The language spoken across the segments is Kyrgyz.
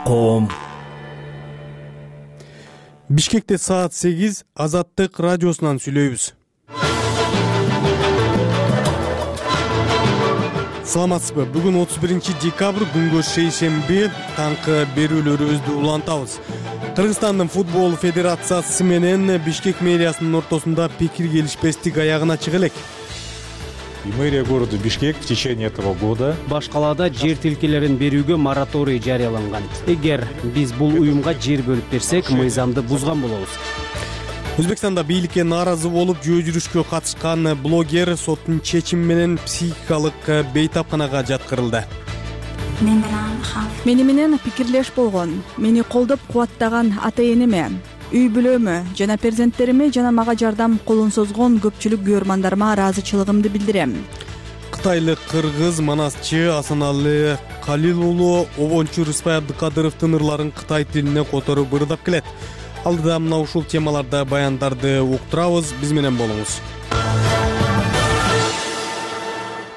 коом. Бишкекте саат 8 Азаттык радиосунан сүйлөйбүз. Саламатсызбы? Бүгүн 31 декабрь күнгө шейшемби таңкы берүүлөрүбүздү улантабыз. Кыргызстандын футбол федерациясы менен Бишкек мэриясынын ортосунда пикир келишпестик аягына чыга элек. И мэрия города Бишкек в течение этого года баш калаада жер тилкелерин берүүгө мораторий жарыяланган. Эгер биз бул уюмга жер бөлүп берсек, мыйзамды бузган болобуз. Өзбекстанда бийликке нааразы болуп жөө жүрүшкө катышкан блогер соттун чечими менен психикалык бейтапканага жаткырылды. Мени менен пикирлеш болгон, мени колдоп кубаттаган ата-энеме, үй бүлөмө жана перзенттериме жана мага жардам колун созгон көпчүлүк күйөрмандарыма ыраазычылыгымды билдирем. Кытайлык кыргыз манасчы Асаналы Калил уулу обончу Рыспай Абдыкадыровдун ырларын кытай тилине которуп ырдап келет. Алдыда мына ушул темаларда баяндарды уктурабыз, биз менен болуңуз.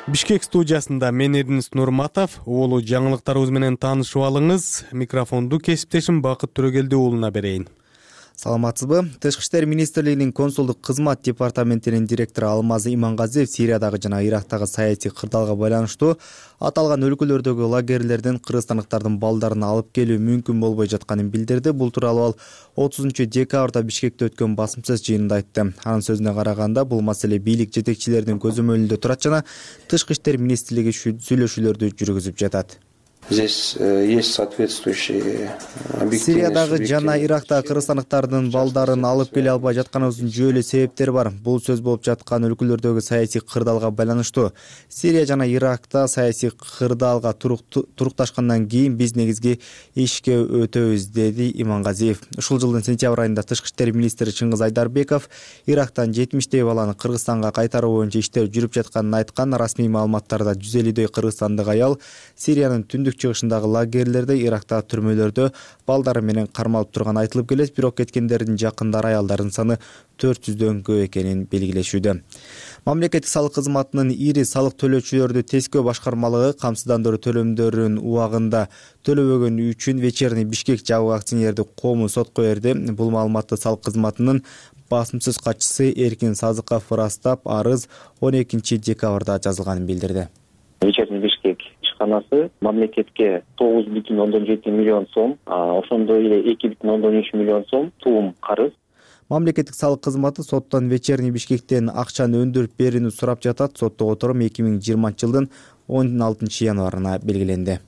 Бишкек студиясында мен Эрдинис Нурматов, уулу жаңылыктарыбыз менен таанышып алыңыз. Микрофонду кесиптешим Бакыт Төрөгелди уулуна берейин. Саламатсызбы? Тышкы иштер министрлигинин консулдук кызмат департаментинин директору Алмазы Имангазиев Сириядагы жана Ирактагы саясий кырдаалга байланыштуу аталган өлкөлөрдөгү лагерлерден кыргызстандыктардын балдарын алып келүү мүмкүн болбой жатканын билдирди. Бул тууралуу ал 30 декабрда Бишкекте өткөн басымсыз жыйынында айтты. Анын сөзүнө караганда, бул маселе бийлик жетекчилеринин көзөмөлүндө турат жана Тышкы иштер министрлиги сүйлөшүүлөрдү жүргүзүп жатат. Здесь есть соответствующие объективные. Сириядагы жана Ирактагы кыргызстандыктардын балдарын алып келе албай жатканыбыздын жөө эле себептери бар. Бул сөз болуп жаткан өлкөлөрдөгү саясий кырдаалга байланыштуу. Сирия жана Иракта саясий кырдаалга турукташкандан кийин биз негизги ишке өтөбүз, деди Имангазиев. Ушул жылдын сентябрь айында Тышкы иштер министри Чыңгыз Айдарбеков Ирактан 70 баланы Кыргызстанга кайтаруу боюнча иштер жүрүп жатканын айткан. Расмий маалыматтарда 150 кыргызстандык аял Сириянын түндүк чыгышындагы лагерлерде, Ирактагы түрмөлөрдө балдары менен кармалып турганы айтылып келет. Бирок кеткендердин жакындары аялдардын саны 400дөн көп экенин белгилешүүдө. Мамлекеттик салык кызматынын ири салык төлөөчүлөрдү тескөө башкармалыгы камсыздандыруу төлөмдөрүн убагында төлөбөгөнү үчүн Вечерний Бишкек жабык акционердик коому сотко берди. Бул маалыматты салык кызматынын басымсыз катчысы Эркин Сазыков ырастап, арыз 12 декабрда жазылганын билдирди. Вечерний Бишкек ишканасы мамлекетке 9,7 миллион сом, ошондой эле 2,3 миллион сом туум карыз. Мамлекеттик салык кызматы соттон Вечерний Бишкектен акчаны өндүрүп берүүнү сурап жатат. Соттогу отурум 2020 жылдын 16 январына белгиленди.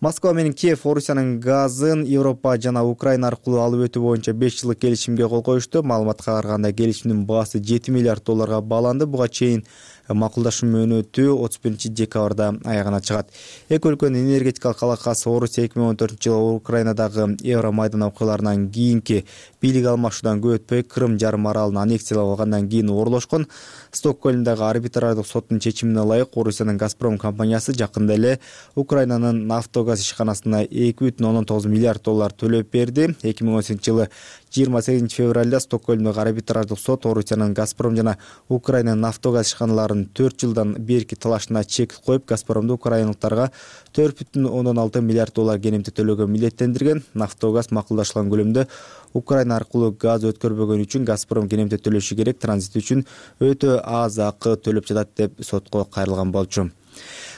Москва менен Киев Орусиянын газын Европа жана Украина аркылуу алып өтүү боюнча 5 жылдык келишимге кол коюшту. Маалыматка караганда, келишимдин баасы 7 миллиард долларга бааланды. Буга чейин макулдашуу мөөнөтү 31 декабрда аягына чыгат. Эки өлкөнүн энергетикалык алакасы Орусия 2014-жылы Украинадагы Евромайдан окуяларынан кийинки бийлик алмашуудан көп өтпөй Крым жарым аралын аннексиялап алгандан кийин орлошкон. Стокгольмдагы арбитраждык соттун чечимине ылайык Орусиянын Газпром компаниясы жакында эле Украинанын Нафтогаз ишканасына 2,9 миллиард доллар төлөп берди. 2018-жылы 28 февралда Стокгольмдагы арбитраждык сот Орусиянын Газпром жана Украинанын Нафтогаз ишканаларын 4 жылдан берки талашына чек коюп, Газпромду украиналыктарга 4,6 миллиард доллар кенемти төлөөгө милдеттендирген. Нафтогаз макулдашылган көлөмдө Украина аркылуу газ өткөрбөгөн үчүн Газпром кенемти төлөшү керек. Транзит үчүн өтө аз акы төлөп жатат деп сотко кайрылган болчу.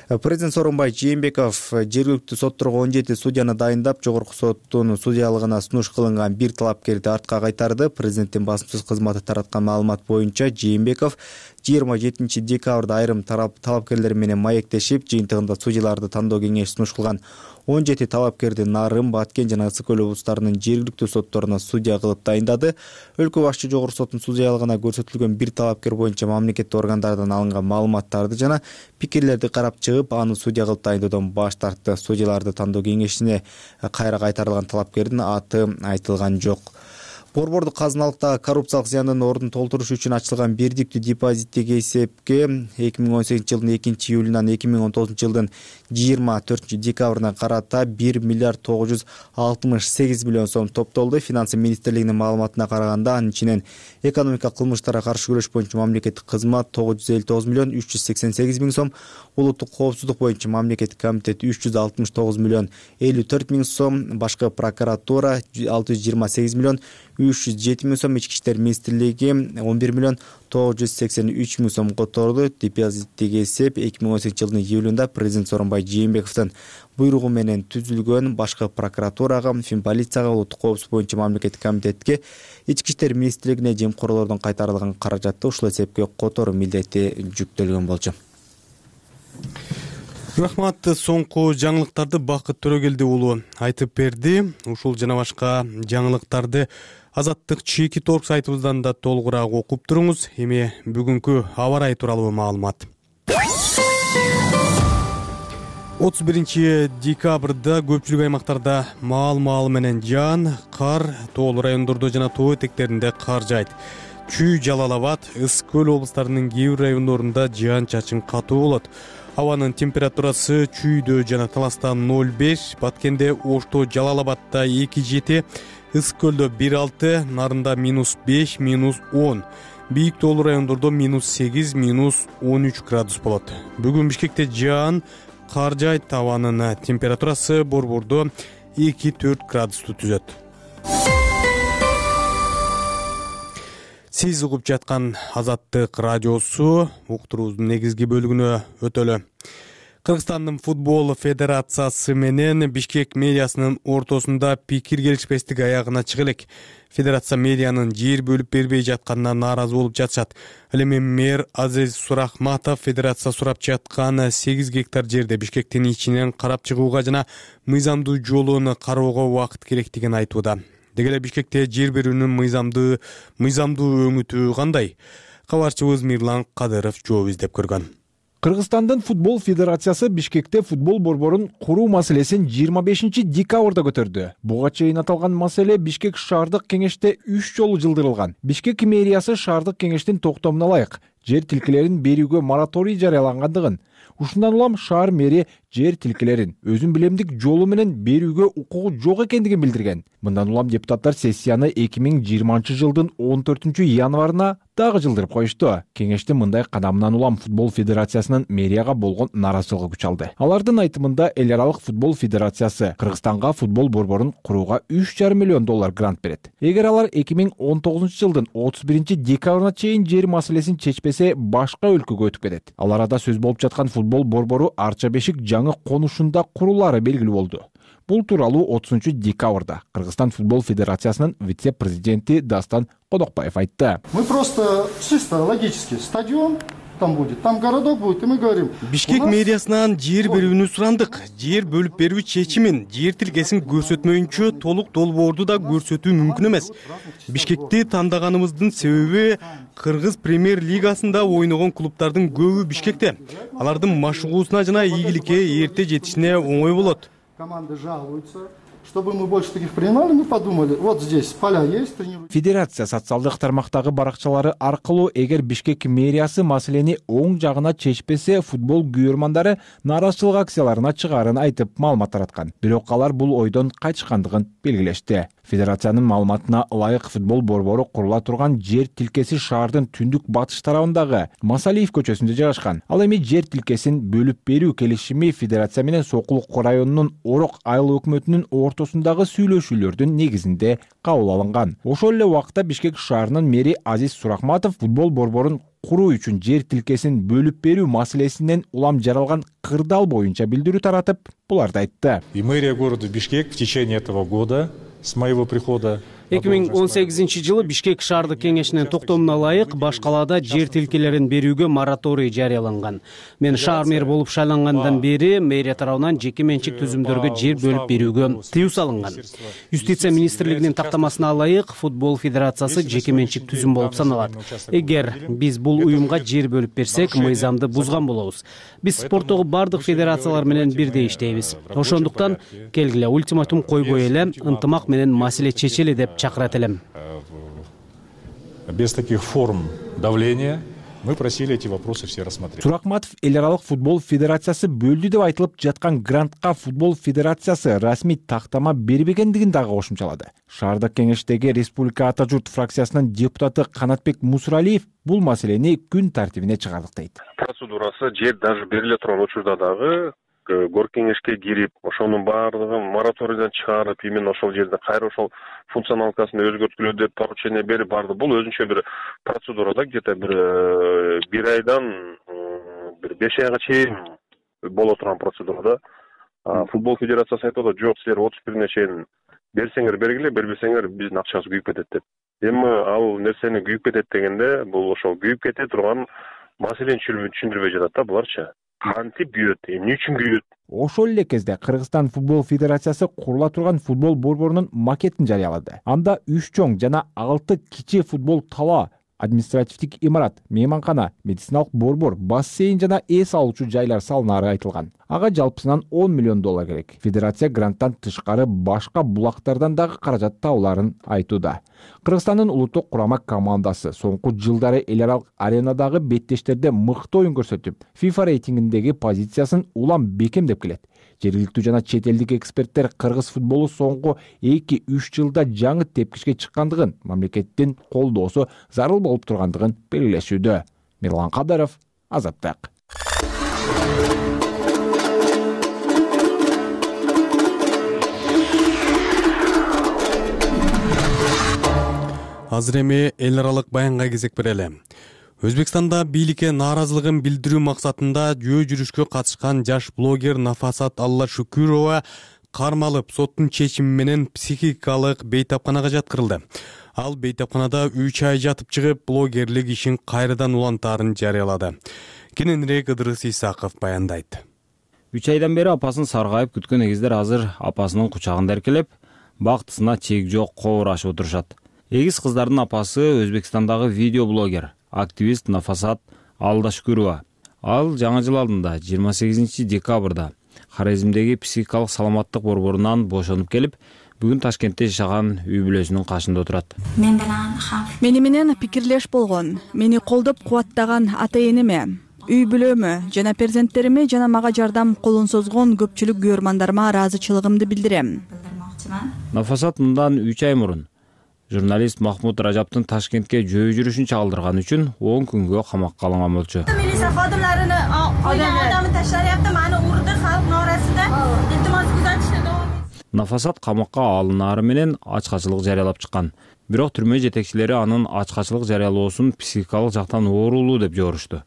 Президент Сооронбай Жээнбеков жергиликтүү сотторго 17 судьяны дайындап, жогорку соттун судьялыгына сунуш кылынган бир талапкерди артка кайтарды. Президенттин басымсыз кызматы тараткан маалымат боюнча, Жээнбеков 27 декабрда айрым талапкерлер менен маектешип, жыйынтыгында судьяларды тандоо кеңеши сунуш кылган 17 талапкерди Нарым, Баткен жана Ысык көл облустарынын жергиликтүү сотторуна судья кылып дайындады. Өлкө башчы жогорку соттун судьялыгына көрсөтүлгөн бир талапкер боюнча мамлекеттик органдардан алынган маалыматтарды жана пикирлерди карап чыгып, аны судья кылып дайындоодон баш тартты. Судьяларды тандоо кеңешине кайра кайтарылган талапкердин аты айтылган жок. Борбордук казыналыктагы коррупциялык зыяндын ордун толтуруш үчүн ачылган бирдиктүү депозиттик эсепке 2018 жылдын 2 июлунан 2019 жылдын 24-декабрына карата 1 миллиард 968 миллион сом топтолду. Финансы министрлигинин маалыматына караганда, анын ичинен экономика кылмыштарга каршы күрөш боюнча мамлекеттик кызмат 959 миллион 388 миң сом, улуттук коопсуздук боюнча мамлекеттик комитет 369 миллион 54 миң сом, башкы прокуратура 628 миллион 307 миң сом, ички иштер министрлиги 11 миллион 983 миң сом которду. Депозиттеги эсеп 2018 жылдын июлунда президент Сооронбай Жээнбековдун буйругу менен түзүлгөн. Башкы прокуратурага, полицияга, улуттук коопсуздук боюнча мамлекеттик комитетке, ички иштер министрлигине жемкорлордон кайтарылган каражатты ушул эсепке которуу милдети жүктөлгөн болчу. Рахмат. Соңку жаңылыктарды Бакыт Төрөгелди уулу айтып берди. Ушул жана башка жаңылыктарды Азаттык чеки торг сайтыбыздан да толугураак окуп туруңуз. Эми бүгүнкү аба ырайы тууралуу маалымат. 31 декабрда көпчүлүк аймактарда маал менен жаан, кар, тоолуу райондордо жана тоо этектеринде кар жаайт. Чүй, Жалал Абад, Ысык көл облустарынын кээ бир райондорунда жаан-чачын катуу болот. Абанын температурасы Чүйдө жана Таласта 0,5, Баткенде, Ошто, Жалал Абадда 2,7, Ысык көлдө 1,6, Нарында -5, -10. Бийик тоолуу райондордо -8, -13 градус болот. Бүгүн Бишкекте жаан, кар жаайт. Абанын температурасы Борбордо 2-4 градусту түзөт. Сиз угуп жаткан Азаттык радиосу уктуруубуздун негизги бөлүгүнө өтөлү. Кыргызстандын футбол федерациясы менен Бишкек медиасынын ортосунда пикир келишпестик аягына чыга элек. Федерация медианын жер бөлүп бербей жатканына нааразы болуп жатышат. Ал эми мэр Азиз Сурахматов федерация сурап жаткан 8 гектар жерде Бишкектин ичинен карап чыгууга жана мыйзамдуу жолун кароого убакыт керектигин айтууда. Деги эле Бишкекте жер берүүнүн мыйзамдуу өңүтү кандай? Кабарчыбыз Мирлан Кадыров жооп издеп көргөн. Кыргызстандын футбол федерациясы Бишкекте футбол борборун куруу маселесин 25 декабрда көтөрдү. Буга чейин аталган маселе Бишкек шаардык кеңеште 3 жолу жылдырылган. Бишкек мэриясы шаардык кеңештин токтомуна ылайык жер тилкелерин берүүгө мораторий жарыялангандыгын, ушундан улам шаар мэри жер тилкелерин өзүн билемдик жолу менен берүүгө укугу жок экендигин билдирген. Мындан улам депутаттар сессияны 2020 жылдын 14 январына дагы жылдырып коюшту. Кеңештин мындай кадамынан улам футбол федерациясынын мэрияга болгон наразычылыгы күч алды. Алардын айтымында эл аралык футбол федерациясы Кыргызстанга футбол борборун курууга 3,5 миллион доллар грант берет. Эгер алар 2019 жылдын 31 декабрына чейин жер маселесин чечпесе, башка өлкөгө өтүп кетет. Ал арада сөз болуп жаткан футбол борбору Арча Бешик жаңы конушунда курулары белгилүү болду. Бул тууралуу 30 декабрда Кыргызстан футбол федерациясынын вице-президенти Дастан Кодокбаев айтты. Мы просто чисто логически стадион там будет, там городок будет, и мы говорим. Бишкек мэриясынан жер берүүнү сурандык. Жер бөлүп берүү чечимин жер тилкесин көрсөтмөйүнчө толук долбоорду да көрсөтүү мүмкүн эмес. Бишкекти тандаганыбыздын себеби Кыргыз премьер лигасында ойногон клубтардын көбү Бишкекте. Алардын машыгуусуна жана ийгиликке эрте жетишине оңой болот. Команды жалуются. Чтобы мы больше таких принимали, мы подумали, вот здесь поля есть, тренируют. Федерация социалдык тармактагы баракчалары аркылуу эгер Бишкек мэриясы маселени оң жагына чечпесе, футбол күйөрмандары нааразычылык акцияларына чыгаарын айтып маалымат тараткан. Бирок алар бул ойдон кайтышкандыгын белгилешти. Федерациянын маалыматына ылайык футбол борбору курула турган жер тилкеси шаардын түндүк батыш тарабындагы Масалиев көчөсүндө жайгашкан. Ал эми жер тилкесин бөлүп берүү келишими федерация менен Сокулук районунун Орок айыл өкмөтүнүн ортосундагы сүйлөшүүлөрдүн негизинде кабыл алынган. Ошол эле убакта Бишкек шаарынын мэри Азиз Сурахматов футбол борборун куруу үчүн жер тилкесин бөлүп берүү маселесинен улам жаралган кырдаал боюнча билдирүү таратып, буларды айтты. И мэрия города Бишкек в течение этого года с моего прихода 2018 жылы Бишкек шаардык кеңешинин токтомуна ылайык баш калаада жер тилкелерин берүүгө мораторий жарыяланган. Мен шаар мэр болуп шайлангандан бери мэрия тарабынан жеке менчик түзүмдөргө жер бөлүп берүүгө тыюу салынган. Юстиция министрлигинин тактамасына ылайык футбол федерациясы жеке менчик түзүм болуп саналат. Эгер биз бул уюмга жер бөлүп берсек, мыйзамды бузган болобуз. Биз спорттогу бардык федерациялар менен бирдей иштейбиз. Ошондуктан келгиле ультиматум койбой эле ынтымак менен маселе чечели деп чакырат элем. Без таких форм давления Мы просили эти вопросы все рассмотреть. Суракматов эл аралык футбол федерациясы бөлдү деп айтылып жаткан грантка футбол федерациясы расмий тактама бербегендигин дагы кошумчалады. Шаардык кеңештеги Республика Ата журт фракциясынын депутаты Канатбек Мусуралиев бул маселени күн тартибине чыгардык дейт. Процедурасы жер даже бериле турган учурда дагы горк кеңешке кирип, ошонун баардыгын мораторийден чыгарып, именно ошол жерде кайра ошол функционалкасын өзгөрткүлө деп поручение берип барды. Бул өзүнчө бир процедурада где-то бир айдан бир 5 айга чейин боло турган процедурада. Футбол федерациясы айтып атат, жок, силер 31-ине чейин берсеңер бергиле, бербесеңер биздин акчабыз күйүп кетет деп. Эми ал нерсени күйүп кетет дегенде, бул ошол күйүп кете турган маселени түшүндүрбөй жатат да буларчы. Кантип күйөт, эмне үчүн күйөт? Ошол эле кезде Кыргызстан футбол федерациясы курула турган футбол борборунун макетин жарыялады. Анда 3 чоң жана 6 кичи футбол тала, административдик имарат, мейманкана, медициналык борбор, бассейн жана эс алуучу жайлар салынары айтылган. Ага жалпысынан $10 миллион керек. Федерация гранттан тышкары башка булактардан дагы каражат табууларын айтууда. Кыргызстандын улуттук курама командасы соңку жылдары эл аралык аренадагы беттештерде мыкты оюн көрсөтүп, FIFA рейтингиндеги позициясын улам бекемдеп келет. Жергиликтүү жана чет элдик эксперттер кыргыз футболу соңку 2-3 жылда жаңы тепкичке чыккандыгын, мамлекеттин колдоосу зарыл болуп тургандыгын белгилешүүдө. Мирлан Кадаров, Азаттык. Азыр эми эл аралык баянга кезек берели. Өзбекстанда бийликке нааразылыгын билдирүү максатында жөө жүрүшкө катышкан жаш блогер Нафасат Аллашүкүрова кармалып, соттун чечими менен психикалык бейтапканага жаткырылды. Ал бейтапканада 3 ай жатып чыгып, блогерлик ишин кайрадан улантаарын жарыялады. Кененирээк Ыдырыс Исаков баяндайт. 3 айдан бери апасын саргайып күткөн эгиздер азыр апасынын кучагында эркелеп, бактысына чек жок коорашып отурушат. Эгиз кыздардын апасы Өзбекстандагы видеоблогер, активист Нафасат Аллашүкүрова. Ал жаңы жыл алдында 28 декабрда Хорезмдеги психикалык саламаттык борборунан бошонуп келип, бүгүн Ташкентте жашаган үй бүлөсүнүн кашында отурат. Мени менен пикирлеш болгон, мени колдоп кубаттаган ата-энеме, үй бүлөмө жана перзенттериме жана мага жардам колун созгон көпчүлүк көрмандарыма ыраазычылыгымды билдирем. Нафасат мындан 3 ай мурун журналист Махмуд Ражаптын Ташкентке жөө жүрүшүн чагылдырган үчүн 10 күнгө камакка алынган болчу. Милиция xodimlarini qo'ygan odamni tashlaryapti, meni urdi, xalq norasida iltimos kuzatishni davom etdi. Нафасат камакка алынаары менен ачкачылык жарыялап чыккан. Бирок түрмө жетекчилери анын ачкачылык жарыялоосун психикалык жактан оорулуу деп жорушту.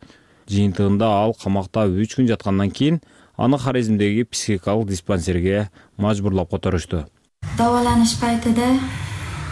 Жыйынтыгында ал камакта 3 күн жаткандан кийин аны Хорезмдеги психикалык диспансерге мажбурлап которушту. Davolanish paytida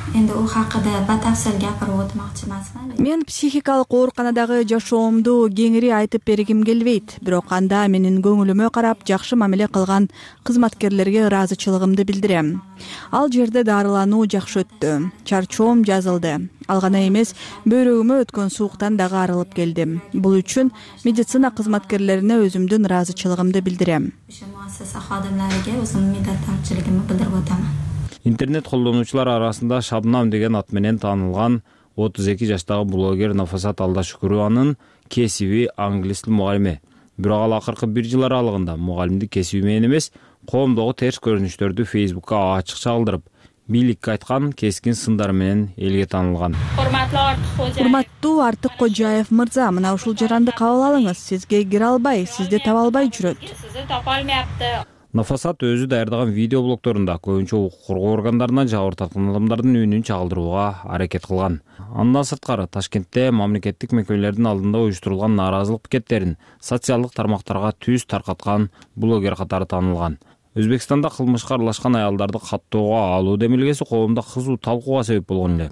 endi u haqida batafsil gapirib o'tmoqchi emasman. Мен психикалык ооруканадагы жашоомду кеңири айтып бергим келбейт, бирок анда менин көңүлүмө карап жакшы мамиле кылган кызматкерлерге ыраазычылыгымды билдирем. Ал жерде дарылануу жакшы өттү, чарчоом жазылды. Ал гана эмес, бөйрөгүмө өткөн сууктан дагы арылып келдим. Бул үчүн медицина кызматкерлерине өзүмдүн ыраазычылыгымды билдирем. Ошо муассаса xodimlariga o'zimning minnatdorchiligimni bildirib o'taman. Интернет колдонуучулар арасында Шабнам деген ат менен таанылган 32 жаштагы блогер Нафасат Аллашүкүрованын кесиби англис тил мугалими. Бирок ал акыркы 1 жыл аралыгында мугалимдик кесиби менен эмес, коомдогу терс көрүнүштөрдү Facebookка ачык чагылдырып, бийликке айткан кескин сындар менен элге таанылган. Урматтуу Артык Кожаев мырза, мына ушул жаранды кабыл алыңыз. Сизге кире албай, сизди таба албай жүрөт. Сизди тапа алмапты. Нафасат өзү даярдаган видеоблогторунда көбүнчө укук коргоо органдарына жабыр тарткан адамдардын үнүн чагылдырууга аракет кылган. Андан сырткары Ташкентте мамлекеттик мекемелердин алдында уюштурулган нааразылык пикеттерин социалдык тармактарга түз таркаткан блогер катары таанылган. Өзбекстанда кылмышка аралашкан аялдарды каттоого алуу демилгеси коомдо кызуу талкууга себеп болгон эле.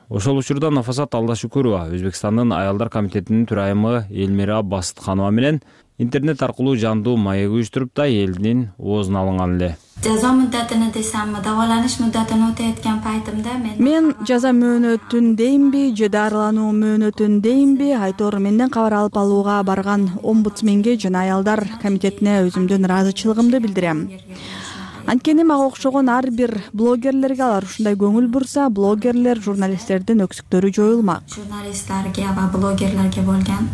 Ошол учурда Нафасат Аллашүкүрова Өзбекстандын аялдар комитетинин төрайымы Элмира Басытханова менен интернет аркылуу жандуу маек уюштуруп да элдин оозуна алынган эле. Жаза муддатыны десемби, даволаныш муддатын өтөйөткөн пайтымда мен жаза мөөнөтүн дейинби, же дарылануу мөөнөтүн дейинби, айтор менден кабар алып алууга барган омбудсменге жана аялдар комитетине өзүмдүн ыраазычылыгымды билдирем. Анткени мага окшогон ар бир блогерлерге алар ушундай көңүл бурса, блогерлер, журналисттердин өксүктөрү жоюлмак. Jurnalistlarga va blogerlarga bo'lgan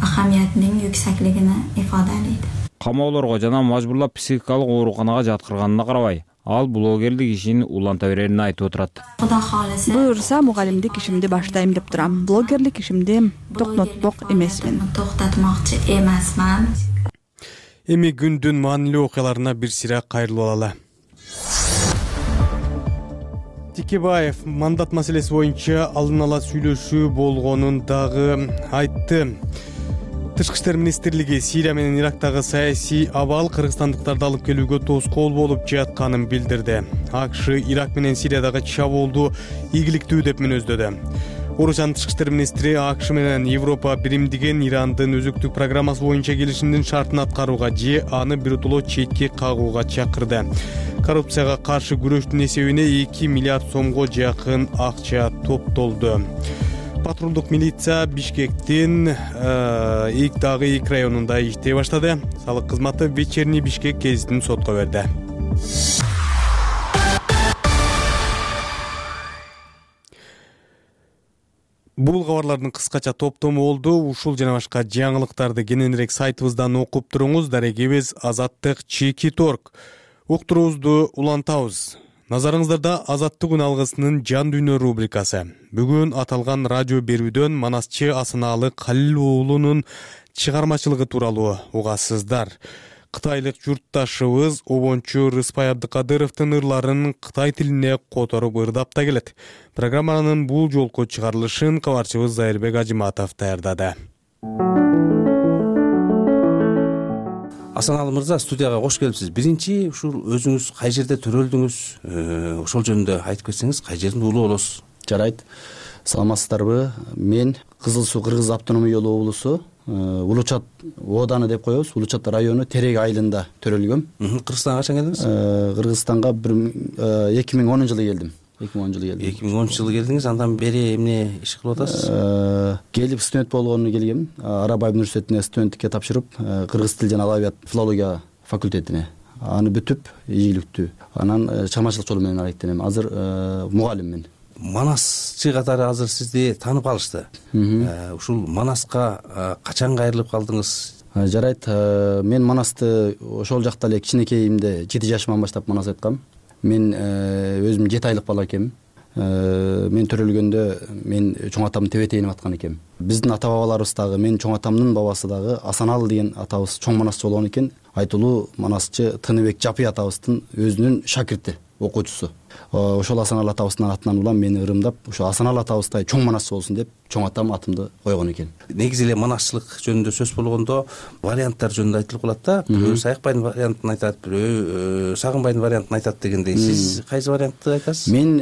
ahamiyatning yuksaligini ifodalaydi. Камоолорго жана мажбурлап психикалык ооруканага жаткырганына карабай, ал блогерлик ишин уланта берерин айтып отурат. Xudo xolisa Буюрса, мугалимдик ишимди баштайм деп турам. Блогерлик ишимди токтотмок эмесмин. to'xtatmoqchi emasman. Эми күндүн маанилүү окуяларына бир сыйра кайрылып алалы. Тикебаев мандат маселеси боюнча алдын ала сүйлөшүү болгонун дагы айтты. Тышкы иштер министрлиги Сирия менен Ирактагы саясий абал кыргызстандыктарды алып келүүгө тоскоол болуп жатканын билдирди. АКШ Ирак менен Сириядагы чабуулду ийгиликтүү деп мүнөздөдү. Орусиянын тышкы иштер министри АКШ менен Европа биримдиген Ирандын өзүктүк программасы боюнча келишимдин шартын аткарууга же аны биротоло четке кагууга чакырды. Коррупцияга каршы күрөштүн эсебине 2 миллиард сомго жакын акча топтолду. Патрулдук милиция Бишкектин дагы 2 районунда иштей баштады. Салык кызматы Вечерний Бишкек гезитин сотко берди. Бул кабарлардын кыскача топтому болду. Ушул жана башка жаңылыктарды кененирээк сайтыбыздан окуп туруңуз. Дарегибиз Азаттык Чеки.org. Уктуруубузду улантабыз. Назарыңыздарда Азаттык күн алгысынын жан дүйнө рубрикасы. Бүгүн аталган радио берүүдөн манасчы Асаналы Калил уулунун чыгармачылыгы тууралуу угасыздар. Кытайлык журтташыбыз обончу Рыспай Абдыкадыровдун ырларын кытай тилине которуп ырдап да келет. Программанын бул жолку чыгарылышын кабарчыбыз Зайырбек Ажыматов даярдады. Асаналы мырза, студияга кош келипсиз. Биринчи ушул өзүңүз кай жерде төрөлдүңүз? Ошол жөнүндө айтып кетсеңиз, кай жердин уулу болосуз? Жарайт. Саламатсыздарбы? Мен Кызыл Суу Кыргыз автономиялык облусу Улучат ооданы деп коебуз. Улучат району Терек айылында төрөлгөм. Кыргызстанга качан келдиңиз? Кыргызстанга 2010 жылы келдим. 2010 жылы келдиңиз, андан бери эмне иш кылып атасыз? Келип студент болгону келгем. Арабаев университетине студенттикке тапшырып, кыргыз тил жана адабият филология факультетине. Аны бүтүп, ийгиликтүү. Анан чыгармачылык жолу менен аракеттенем. Азыр мугалиммин. Манасчы катары азыр сизди таанып алышты. Ушул Манаска качан кайрылып калдыңыз? Жарайт. Мен Манасты ошол жакта эле кичинекейимде 7 жашыман баштап Манас айткам. Мен өзүм 7 айлык бала экенмин. Мен төрөлгөндө мен чоң атамдын тебетейинип аткан экенмин. Биздин ата бабаларыбыз дагы, менин чоң атамдын бабасы дагы Асаналы деген атабыз чоң манасчы болгон экен. Айтылуу манасчы Тыныбек Жапый атабыздын өзүнүн шакирти, окуучусу. Ошол Асаналы атабыздын атынан улам мени ырымдап, ошо Асаналы атабыздай чоң манасчы болсун деп чоң атам атымды койгон экен. Негизи эле манасчылык жөнүндө сөз болгондо варианттар жөнүндө айтылып калат да. Бирөө Саякбайдын вариантын айтат, бирөө Сагынбайдын вариантын айтат дегендей. Сиз кайсы вариантты айтасыз? Мен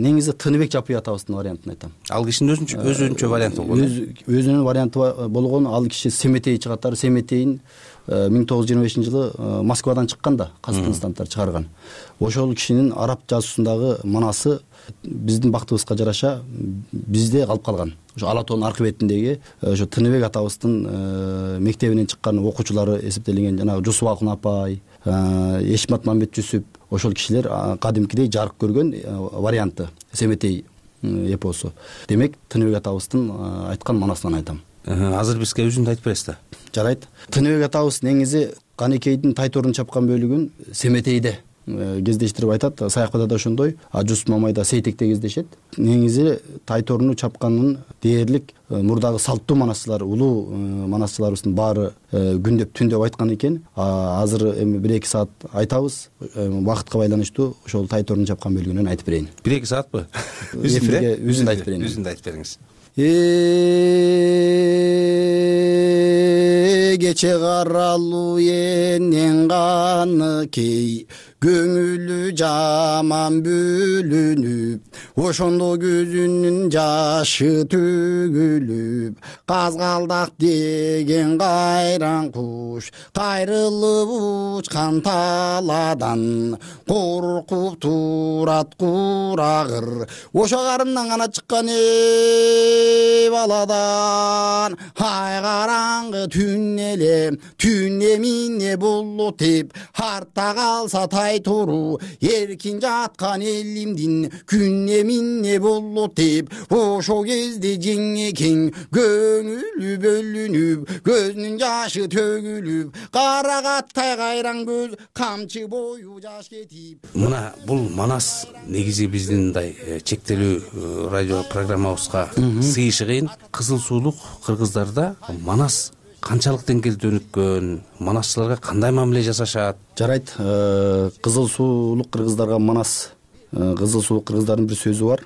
негизи Тыныбек Жапый атабыздын вариантын айтам. Ал кишинин өзүнчө варианты болгон. Өзүнүн варианты болгон. Ал киши Семетей чыгаттар. Семетейин 1925 жылы Москвадан чыккан да, Казакстандар чыгарган. Ошол кишинин араб жазуусундагы манасы биздин бактыбызга жараша бизде калып калган. Ошо Ала тоонун аркы бетиндеги ошо Тыныбек атабыздын мектебинен чыккан окуучулары эсептелинген жанагы Жусуп Акын апай, Эшмат Мамбет Жүсүп, ошол кишилер кадимкидей жарык көргөн варианты Семетей эпосу. Демек Тыныбек атабыздын айткан манасынан айтам. Азыр бизге өзүндү айтып бересиз да. Жарайт. Тыныбек атабыз негизи Канекейдин Тайторун чапкан бөлүгүн Семетейде кездештирип айтат. Саякбайда да ошондой, Жусуп Мамайда Сейтекте кездешет. Негизи Тайторуну чапканын дээрлик мурдагы салттуу манасчылар, улуу манасчыларыбыздын баары күндөп түндөп айткан экен. Азыр эми 1-2 саат айтабыз. Убакытка байланыштуу ошол Тайторуну чапкан бөлүгүнөн айтып берейин. 1-2 саатпы? Өзүндү айтып берейин. Өзүндү айтып бериңиз. Кече каралуу энен каны кей, көңүлү жаман бөлүнүп, ошондо көзүнүн жашы төгүлүп казгалдак деген кайран куш кайрылып учкан талаадан коркуп турат курагыр ошо карындан гана чыккан баладан ай караңгы түн эле түн эмне болот деп артта калса тайтуру эркин жаткан элимдин күн эмне болот деп ошол кезде жеңекең көңүлү бөлүнүп көзүнүн жашы төгүлүп карагаттай кайран көз камчы бою жаш кетип. Мына бул Манас негизи биздин мындай чектелүү радио программабызга сыйышы кыйын. Кызыл суулук кыргыздарда Манас канчалык деңгээлде өнүккөн, манасчыларга кандай мамиле жасашат? Жарайт, кызыл суулук кыргыздарга Манас, кызыл суулук кыргыздардын бир сөзү бар.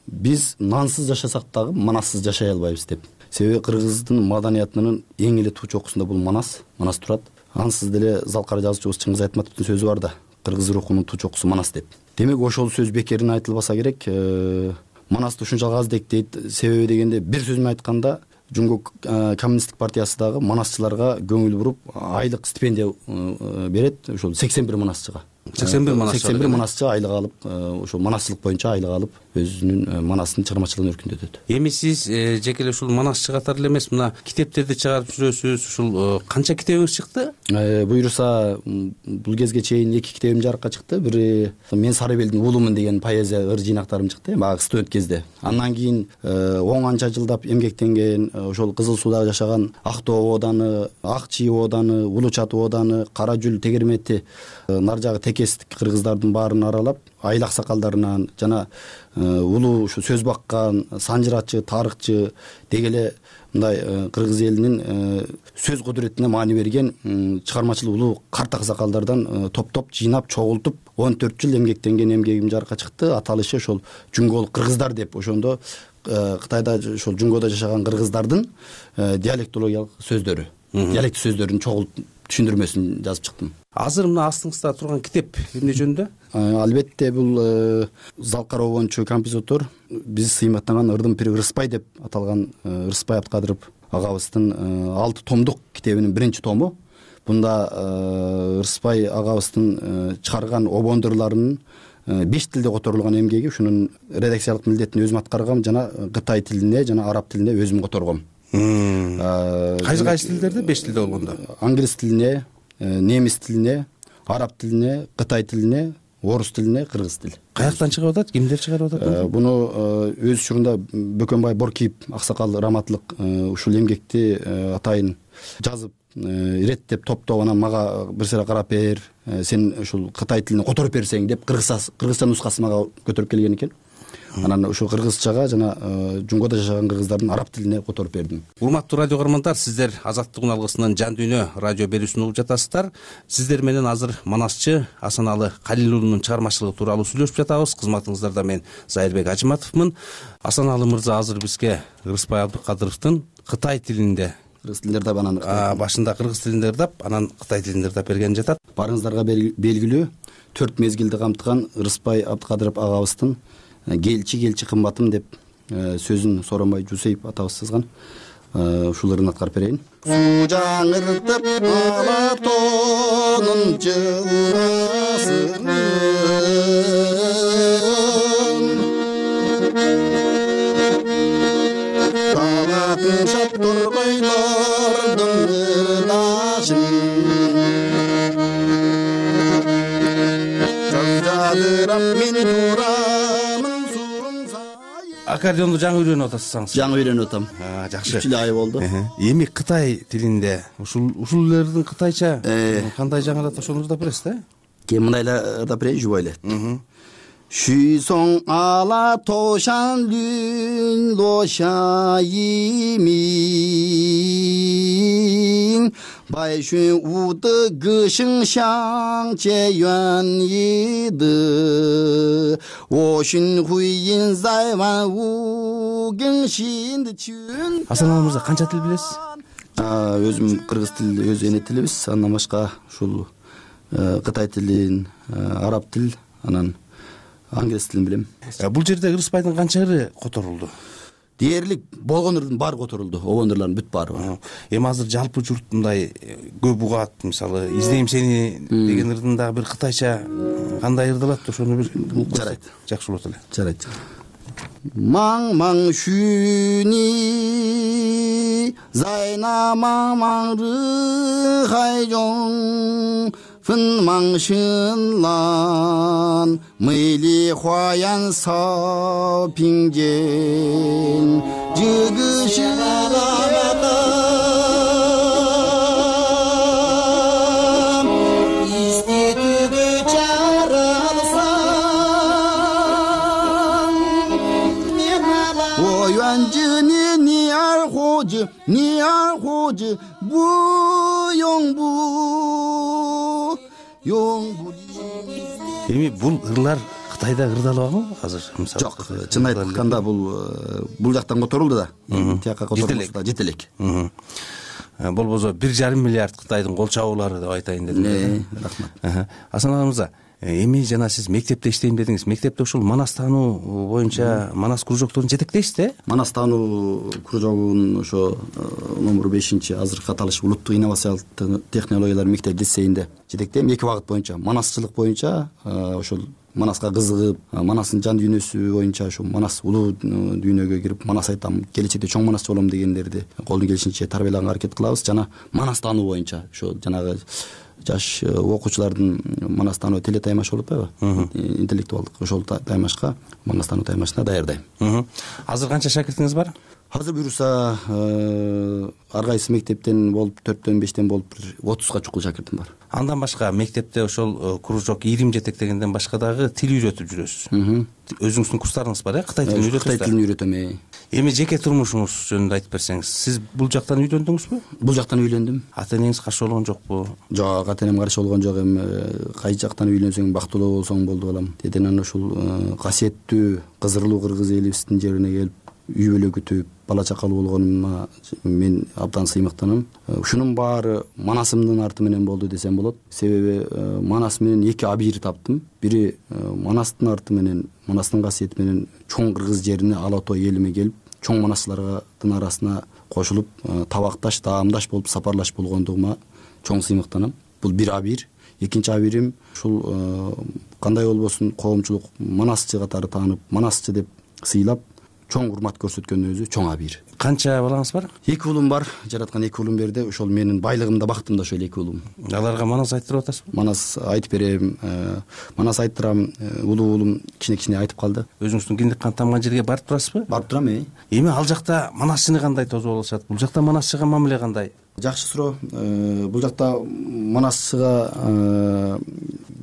Биз нансыз жашасак дагы манассыз жашай албайбыз деп. Себеби кыргыздын маданиятынын эң эле туу чокусунда бул Манас турат. Ансыз деле Залкар жазуучубуз Чыңгыз Айтматовдун сөзү бар да, кыргыз рухунун туу чокусу Манас деп. Демек ошол сөз бекерин айтылбаса керек. Манасты ушунчалык аздектейт. Себеби дегенде бир сөз менен айтканда Жумгу коммунисттик партиясы дагы манасчыларга көңүл буруп айлык стипендия берет. Ошол 81 манасчыга. 81 манасчы айлык алып, ошол манасчылык боюнча айлык алып, өзүнүн манастын чыгармачылыгын өркүндөтөт. Эми сиз жеке эле ушул манасчы катары эле эмес, мына китептерди чыгарып жүрөсүз. Ушул канча китебиңиз чыкты? Буюрса, бул кезге чейин 2 китебим жарыкка чыкты. Бири Мен Сарыбелдин уулумун деген поэзия ыр жыйнактарым чыкты, баягы студент кезде. Андан кийин 10 анча жылдап эмгектенген, ошол Кызыл Сууда жашаган Актоо ооданы, Ак Чий ооданы, Улуу Чатуу ооданы, Кара Жүл тегермети, нар жагы текестик кыргыздардын баарын аралап, айыл аксакалдарынан жана улуу ушу сөз баккан санжырачы, тарыхчы деги эле мындай кыргыз элинин сөз кудуретине маани берген чыгармачыл улуу карт аксакалдардан топтоп жыйнап чогултуп 14 жыл эмгектенген эмгегим жарыкка чыкты. Аталышы ошол Жүнгөлүк кыргыздар деп. Ошондо Кытайда ошол Жүнгөдө жашаган кыргыздардын диалектологиялык сөздөрү, диалект сөздөрүн чогултуп түшүндүрмөсүн жазып чыктым. Азыр мына астыңызда турган китеп эмне жөнүндө? Албетте бул Залкар обончу композитор, биз сыйматтаган Ырдын пири Ырыспай деп аталган Ырыспай Абдыкадыров агабыздын 6 томдук китебинин биринчи тому. Бунда Ырыспай агабыздын чыгарган обондурларынын 5 тилде которулган эмгеги, ушунун редакциялык милдетин өзүм аткаргам жана Кытай тилине жана араб тилине өзүм которгом. Кайсы тилдерде 5 тилде болгондо? Англис тилине, немис тилине, араб тилине, Кытай тилине, орус тилине, кыргыз тил. Каяктан чыгып атат? Кимдер чыгарып атат? Буну өз учурунда Бөкөнбай Боркиев аксакал раматлык ушул эмгекти атайын жазып, иреттеп топтоп, анан мага бир сыйра карап бер, сен ушул Кытай тилине которуп берсең деп кыргызча нускасын мага көтөрүп келген экен. Анан ушул кыргызчага жана Жүнгөдө жашаган кыргыздардын араб тилине которуп бердим. Урматтуу радио каармандар, сиздер Азаттык үн алгысынын Жан дүйнө радио берүүсүн угуп жатасыздар. Сиздер менен азыр манасчы Асаналы Калил уулунун чыгармачылыгы тууралуу сүйлөшүп жатабыз. Кызматыңыздарда мен Зайырбек Ажыматовмун. Асаналы мырза азыр бизге Ырыспай Абдыкадыровдун Кытай тилинде, кыргыз тилинде ырдап, анан башында кыргыз тилинде ырдап, анан Кытай тилинде ырдап берген жатат. Барыңыздарга белгилүү 4 мезгилди камтыган Ырыспай Абдыкадыров агабыздын келчи кымбатым деп сөзүн Сооронбай Жусейп атабыз сызган. Ушул ырын аткарып берейин. Суу жаңыртып алатонун жыласын, талатын шаптыр койлордун ырдашын, жадырап мен турамын. Аккордеонду жаңы үйрөнүп атасыз? Жаңы үйрөнүп атам. Жакшы. Үч ай болду. Эми Кытай тилинде ушулердин кытайча кандай жаңырат, ошону ырдап бересиз да? Кем мындай эле ырдап берейин, жубай эле. Шүйсоң ала тошан дүн лошайимин, байшүн уды гышың шаңче юан еді, ошын хуйин зайван угын шинді чүн. Асаналы мырза, канча тил билесиз? Өзүм кыргыз тили, өз эне тилибиз, андан башка ушул Кытай тилин, араб тил, анан англис тилин билем. Бул жерде Ырыспайдын канча ыры которулду? Дээрлик болгон ырдын баары которулду, обондурлардын бүт баары. Эми азыр жалпы журт мындай көп угат, мисалы издейм сени деген ырдын дагы бир кытайча кандай ырдалат, ошону бир жарайт. Жакшы болот эле. Жарайт. Маң шүни зайна маң ры хайжон фын маң шынлан мыйли хуаян сау пиңжен жыгы шыраматам истетүгө чаралсам оюанжыны ниархожы буйоңбу Эми бул ырлар Кытайда ырдалабы азыр? Жок, чын айтканда бул жактан которулду да. Тияка которулду да, жетелек. Болбосо 1,5 миллиард Кытайдын кол чабуулары деп айтайын дедим. Рахмат. Асан аға мырза, эми жана сиз мектепте иштейм дедиңиз. Мектепте ушул манас таануу боюнча манас кружокторун жетектейсиз да? Манас таануу кружогунун ошо номер 5 азыркы аталыш улуттук инновациялык технологиялар мектеп лицейинде жетектейм. 2 багыт боюнча, манасчылык боюнча, ошол манаска кызыгып, манастын жан дүйнөсү боюнча ошо манас улуу дүйнөгө кирип, манас айтам, келечекте чоң манасчы болом дегендерди колдон келишинче тарбиялаганга аракет кылабыз. Жана манас таануу боюнча ошо жанагы жаш окуучулардын манас таануу теле таймаш болуп атпайбы? Интеллектуалдык ошол таймашка, манас таануу таймашына даярдайм. Азыр канча шакиртиңиз бар? Азыр буюрса ар кайсы мектептен болуп 4-төн 5тен болуп 30га чукул шакиртим бар. Андан башка мектепте ошол кружок ирим жетектегенден башка дагы тил үйрөтүп жүрөсүз. Өзүңүздүн курстарыңыз бар, Кытай тилин үйрөтөсүз? Кытай тилин үйрөтөм. Эми жеке турмушуңуз жөнүндө айтып берсеңиз, сиз бул жактан үйлөндүңүзбү? Бул жактан үйлөндүм. Ата-энеңиз каршы болгон жокпу? Жок, ата-энем каршы болгон жок. Эми кайсы жактан үйлөнсөң бактылуу болсоң болду балам. Деден ушул касиеттүү Кызырлуу кыргыз элибиздин жерине келип үй бүлө күтүп бала чакалуу болгонума мен абдан сыймыктанам. Ушунун баары манасымдын арты менен болду десем болот. Себеби манас менен 2 абийир таптым. Бири манастын арты менен, манастын касиети менен чоң кыргыз жерине ала той элиме келип, чоң манасчылардын арасына кошулуп, табакташ, даамдаш болуп сапарлаш болгондугума чоң сыймыктанам. Бул бир абийир. Экинчи абийирим ушул кандай болбосун коомчулук манасчы катары таанып, манасчы деп сыйлап, чоң урмат көрсөткөндүн өзү чоң абийир. Канча балаңыз бар? 2 уулум бар. Жараткан 2 уулум берди. Ошол менин байлыгым да бактым да ошол 2 уулум. Аларга манас айттырып атасызбы? Манас айтып берем. Манас айттырам. Улуу уулум кичине айтып калды. Өзүңүздүн киндик кан тамган жерге барып турасызбы? Барып турам. Эми ал жакта манасчыны кандай тосуп алышат? Бул жакта манасчыга мамиле кандай? Жакшы суроо. Бул жакта манасчыга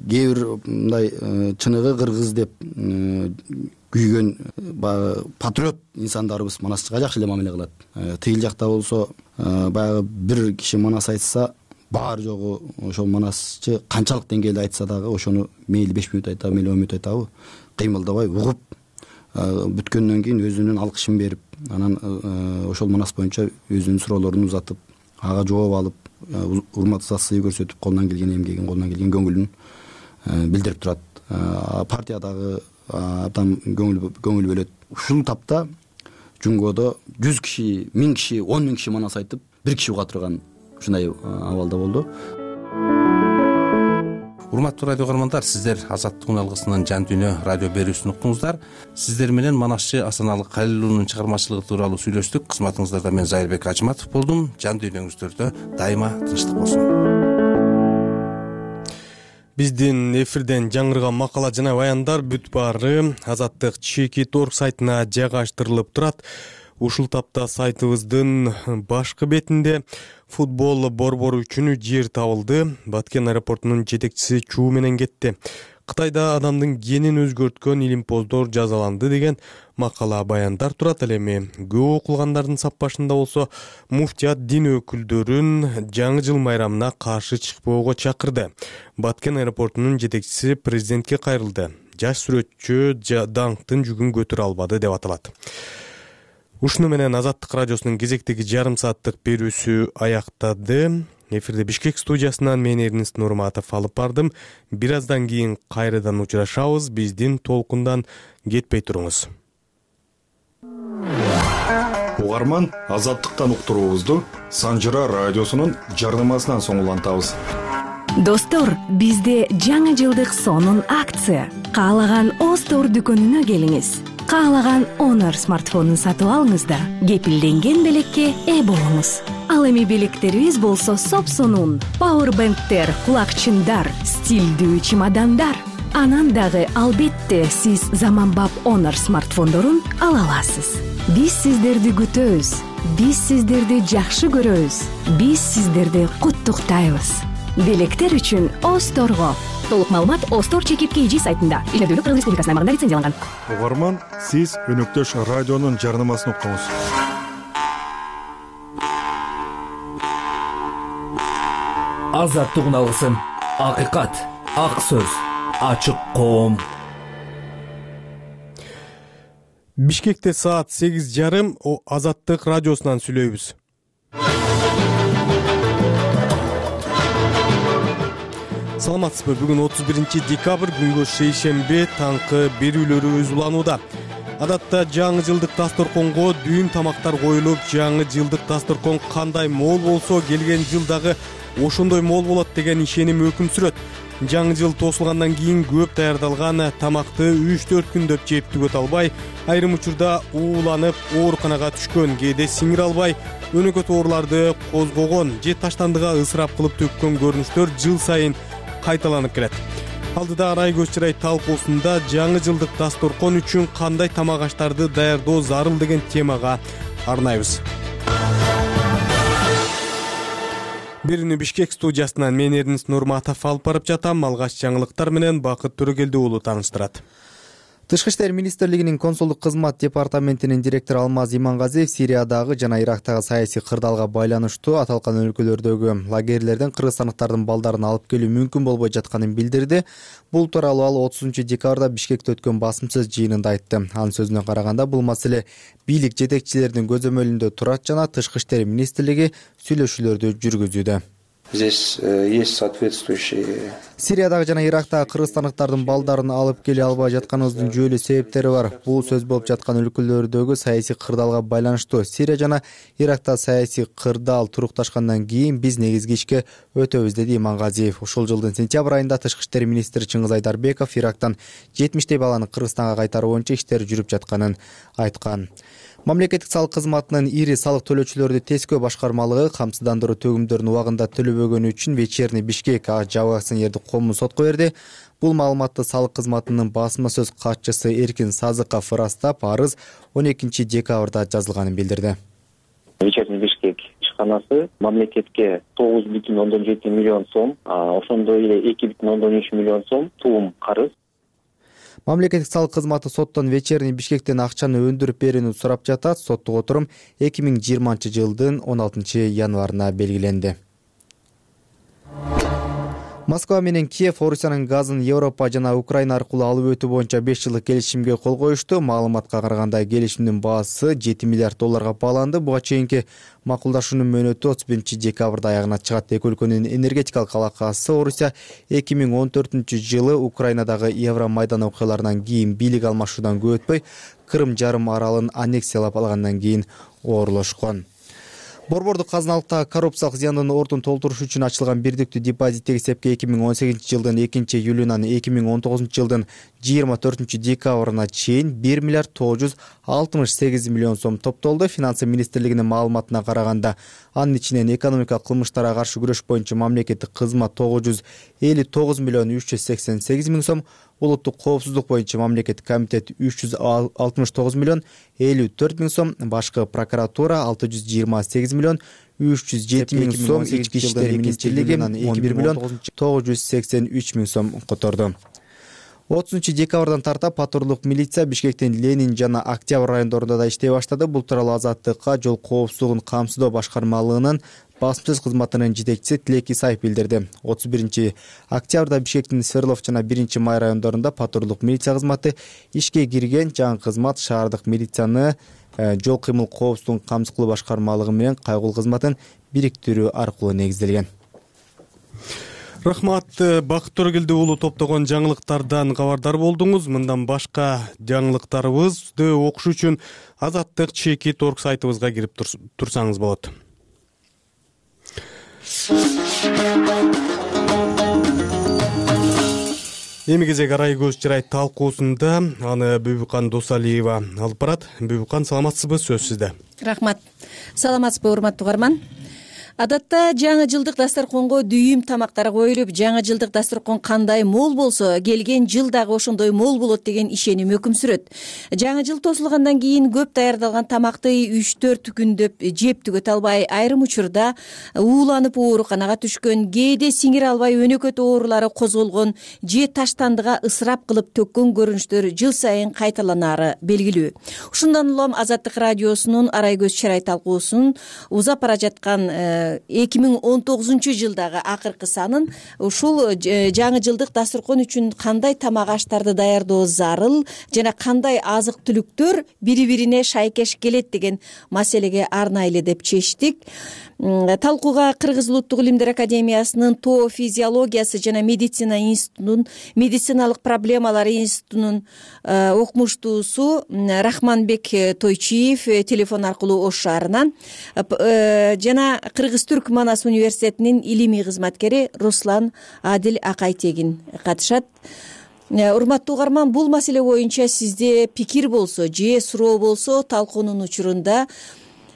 кээ бир мындай чыныгы кыргыз деп күйгөн патриот инсандарыбыз манасчыга жакшы эле мамиле кылат. Тыйыл жакта болсо баягы бир киши манас айтса, баары жогу ошол манасчы канчалык деңгээлде айтса дагы ошону мейли 5 мүнөт айтабы, мейли 10 мүнөт айтабы, кыймылдабай угуп бүткөндөн кийин өзүнүн алкышын берип, анан ошол манас боюнча өзүнүн суроолорун узатып, ага жооп алып, урмат сый көрсөтүп, колунан келген эмгегин, колунан келген көңүлүн билдирип турат. Партиядагы абдан көңүл бөлөт. Ушул тапта Жунгодо 100 киши, 1000 киши, 10 000 киши манас айтып, 1 киши уга турган ушундай абалда болду. Урматтуу радио көрөрмандар, сиздер Азаттык алгысынын жан дүйнө радио берүүсүн уктуңуздар. Сиздер менен манасчы Асаналы Калилулунун чыгармачылыгы тууралуу сүйлөштүк. Кызматыңыздарда мен Зайырбек Ажыматов болдум. Жан дүйнөңүздөрдө дайыма тынчтык болсун. Биздин эфирден жаңырган макала жана баяндар бүт баары Азаттык Чекит.org сайтына жайгаштырылып турат. Ушул тапта сайтыбыздын башкы бетинде футбол борбору үчүн жер табылды. Баткен аэропортунун жетекчиси чуу менен кетти. Кытайда адамдын генин өзгөрткөн илимпоздор жазаланды деген макала баяндар турат. Ал эми көп окулгандардын саппашында болсо муфтият дин өкүлдөрүн жаңы жыл майрамына каршы чыкпоого чакырды. Баткен аэропортунун жетекчиси президентке кайрылды. Жаш сүрөтчү даңктын жүгүн көтөрө албады деп аталат. Ушуну менен Азаттык радиосунун кезектеги жарым сааттык берүүсү аяктады. Эфирде Бишкек студиясынан мен Эрнест Нурматов алып бардым. Бир аздан кийин кайрадан учурашабыз. Биздин толкундан кетпей туруңуз. Угарман, азаттыктан уктуруубузду Санжыра радиосунун жарнамасынан соң улантабыз. Достор, бизде жаңы жылдык сонун акция. Каалаган Остор дүкөнүнө келиңиз. Каалаган Honor смартфонун сатып алыңыз да кепилденген белекке ээ болуңуз. Ал эми белектерибиз болсо сопсонун, пауэрбэнктер, кулакчындар, стилдүү чемодандар. Анан дагы албетте сиз заманбап Honor смартфондорун ала аласыз. Биз сиздерди күтөбүз. Биз сиздерди жакшы көрөбүз. Биз сиздерди куттуктайбыз. Белектер үчүн Осторго. Толук маалымат Остор ЧК сайтында. Иштөөдө Кыргыз Республикасынын аймагында лицензияланган. Угарман, сиз өнөктөш радионун жарнамасын уктуңуз. Азаттык алгысын. Акыйкат, ак сөз, ачык коом. Бишкекте саат 8:30 Азаттык радиосунан сүйлөйбүз. Саламатсызбы? Бүгүн 31 декабрь, күнгө шейшембе, таңкы берүүлөрү уланууда. Адатта жаңы жылдык дасторконго дүйүм тамактар коюлуп, жаңы жылдык дасторкон кандай мол болсо, келген жылдагы ошондой мол болот деген ишеним өкүм сүрөт. Жаңы жыл тосулгандан кийин көп даярдалган тамакты 3-4 күндөп жеп түгөт албай, айрым учурда ууланып, ооруканага түшкөн, кээде сиңире албай, өнөкөт ооруларды козгогон же таштандыга ысырап кылып төккөн көрүнүштөр жыл сайын кайталанып келет. Алдыда арай көз чырай талкуусунда жаңы жылдык дасторкон үчүн кандай тамак аштарды даярдоо зарыл деген темага арнайбыз. Берүүнү Бишкек студиясынан мен Эрнест Нурматов алып барып жатам. Алгач жаңылыктар менен Бакыт Төрөгелди уулу тааныштырат. Тышкы иштер министрлигинин консулдук кызмат департаментинин директору Алмаз Имангазиев Сириядагы жана Ирактагы саясий кырдаалга байланыштуу аталган өлкөлөрдөгү лагерлерден кыргызстандыктардын балдарын алып келүү мүмкүн болбой жатканын билдирди. Бул тууралуу ал 30 декабрда Бишкекте өткөн басымсыз жыйынында айтты. Анын сөзүнө караганда бул маселе бийлик жетекчилеринин көзөмөлүндө турат жана Тышкы иштер министрлиги сүйлөшүүлөрдү жүргүзүүдө. Здесь есть соответствующие. Сириядагы жана Ирактагы кыргызстандыктардын балдарын алып келе албай жатканыбыздын жүйөлүү себептери бар. Бул сөз болуп жаткан өлкөлөрдөгү саясий кырдаалга байланыштуу. Сирия жана Иракта саясий кырдаал турукташкандан кийин биз негизги ишке өтөбүз, деди Имангазиев. Ушул жылдын сентябрь айында Тышкы иштер министри Чыңгыз Айдарбеков Ирактан 70 баланы Кыргызстанга кайтаруу боюнча иштер жүрүп жатканын айткан. Мамлекеттик салык кызматынын ири салык төлөөчүлөрдү тескөө башкармалыгы камсыздандыруу төгүмдөрүн убагында төлөбөгөнү үчүн Вечерний Бишкек АЖ акционердик коомун сотко берди. Бул маалыматты салык кызматынын басма сөз катчысы Эркин Сазыков ырастап, арыз 12 декабрда жазылганын билдирди. Вечерний Бишкек ишканасы мамлекетке 9,7 миллион сом, ошондой эле 2,3 миллион сом туум карыз. Мамлекеттик салык кызматы соттон Вечерний Бишкектен акчаны өндүрүп берүүнү сурап жатат. Соттук отурум 2020 жылдын 16 январына белгиленди. Москва менен Киев Орусиянын газын Европа жана Украина аркылуу алып өтүү боюнча 5 жылдык келишимге кол коюшту. Маалыматка караганда келишимдин баасы 7 миллиард долларга бааланды. Буга чейинки макулдашуунун мөөнөтү 31 декабрда аягына чыгат. Эки өлкөнүн энергетикалык алакасы Орусия 2014 жылы Украинадагы Евромайдан окуяларынан кийин бийлик алмашуудан көп өтпөй Крым жарым аралын аннексиялап алгандан кийин оорлошкон. Борбордук казыналыктагы коррупциялык зыяндын ордун толтуруш үчүн ачылган бирдиктүү депозиттик эсепке 2018 жылдын 2-июлунан 2019 жылдын 24 декабрына чейин 1 миллиард 968 миллион сом топтолду. Финансы министрлигинин маалыматына караганда, анын ичинен экономикалык кылмыштарга каршы күрөш боюнча мамлекеттик кызмат 959 миллион 388 миң сом, улуттук коопсуздук боюнча мамлекеттик комитет 369 миллион 54 миң сом, башкы прокуратура 628 миллион 307 миң сом, ички иштер министрлиги 11 миллион 983 миң сом которду. 30 декабрдан тарта патрулдук милиция Бишкектин Ленин жана Октябрь райондорунда да иштей баштады. Бул тууралуу Азаттыкка жол коопсуздугун камсыздоо башкармалыгынын басмасөз кызматынын жетекчиси Тилек Исаев билдирди. 31 октябрда Бишкектин Сверлов жана 1 май райондорунда патрулдук милиция кызматы ишке кирген. Жаңы кызмат шаардык милицияны жол кыймыл коопсуздугун камсыз кылуу башкармалыгы менен кайгыл кызматын бириктирүү аркылуу негизделген. Рахмат. Бакыт Төрөгелди уулу топтогон жаңылыктардан кабардар болдуңуз. Мындан башка жаңылыктарыбызды окуш үчүн Азаттык /org сайтыбызга кирип турсаңыз болот. Эми кезек арай көз чырай талкуусунда аны Бүбүкан Досалиева алып барат. Бүбүкан, саламатсызбы? Сөз сизде. Рахмат. Саламатсызбы, урматтуу угарман? Адатта жаңы жылдык дасторконго дүйүм тамактар коюлуп, жаңы жылдык дасторкон кандай мол болсо, келген жыл дагы ошондой мол болот деген ишеним өкүм сүрөт. Жаңы жыл тосулгандан кийин көп даярдалган тамакты 3-4 күндөп жеп түгөт албай, айрым учурда ууланып ооруканага түшкөн, кээде сиңире албай өнөкөт оорулары козголгон же таштандыга ысырап кылып төккөн көрүнүштөр жыл сайын кайталанары белгилүү. Ушундан улам Азаттык радиосунун арай көз чырай талкуусунун узап бара жаткан 2019 жылдагы акыркы санын ушул жаңы жылдык дасторкон үчүн кандай тамак аштарды даярдоо зарыл жана кандай азык түлүктөр бири-бирине шайкеш келет деген маселеге арнайлы деп чечтик. Талкууга Кыргыз Улуттук Илимдер Академиясынын ТО физиологиясы жана медицина институтунун медициналык проблемалар институтунун окумуштуусу Рахманбек Тойчиев телефон аркылуу Ош шаарынан жана Кыргыз-Түрк Манас университетинин илимий кызматкери Руслан Адил Акайтегин катышат. Урматтуу угарман, бул маселе боюнча сизде пикир болсо же суроо болсо талкуунун учурунда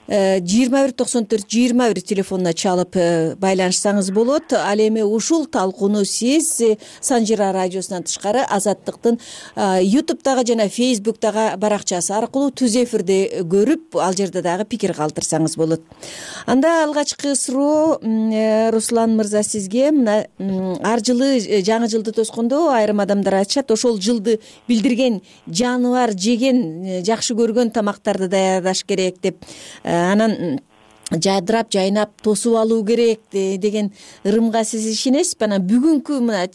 2194-21 телефонуна чалып байланышсаңыз болот. Ал эми ушул талкууну сиз Санжира радиосунан тышкары Азаттыктын YouTube'дагы жана Facebook'дагы баракчасы аркылуу түз эфирде көрүп, ал жерде дагы пикир калтырсаңыз болот. Анда алгачкы суроо Руслан мырза сизге. Мына ар жылы жаңы жылды тоскондо айрым адамдар айтышат, ошол жылды билдирген жаныбар жеген, жакшы көргөн тамактарды даярдаш керек деп, анан жадырап жайнап тосуп алуу керек деген ырымга сиз ишенесизби? Анан бүгүнкү мына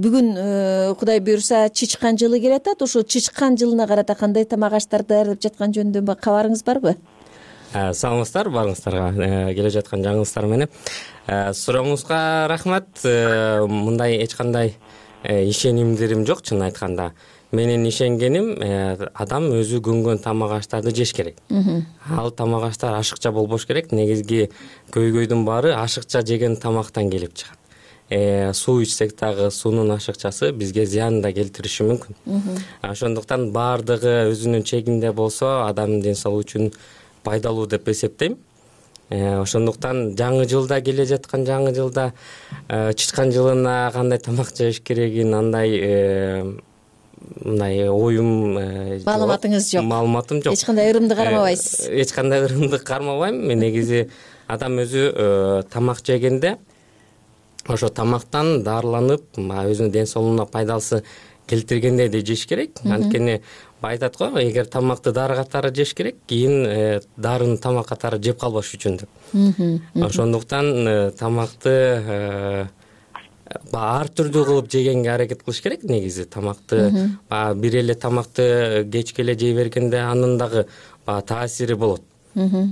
бүгүн Кудай буйруса чычкан жылы келатат. Ошол чычкан жылына карата кандай тамак аштарды даярдап жаткан жөнүндө кабарыңыз барбы? Саламатсыздар баарыңыздарга келе жаткан жаңылыктар менен. Сурооңузга рахмат. Мындай эч кандай ишенимдерим жок, чын айтканда. Менин ишенгеним адам өзү көнгөн тамак аштарды жеш керек. Ал тамак аштар ашыкча болбош керек. Негизги көйгөйдүн баары ашыкча жеген тамактан келип чыгат. Суу ичсек дагы суунун ашыкчасы бизге зыян да келтириши мүмкүн. Ошондуктан баардыгы өзүнүн чегинде болсо адамдын ден соолугу үчүн пайдалуу деп эсептейм. Ошондуктан жаңы жылда келе жаткан жаңы жылда чычкан жылына кандай тамак жеш керегин мындай оюм маалыматыңыз жок. Маалыматым жок. Эч кандай ырымды кармабайсыз. Эч кандай ырымды кармабайм. Мен негизи адам өзү тамак жегенде ошо тамактан дарыланып, өзүнүн ден соолугуна пайдасы келтиргенде да жеш керек. Анткени айтат го, эгер тамакты дары катары жеш керек, кийин дарыны тамак катары жеп калбаш үчүн деп. Ошондуктан тамакты ар түрдүү кылып жегенге аракет кылыш керек. Негизи тамакты бир эле тамакты кечке эле жей бергенде анын дагы таасири болот.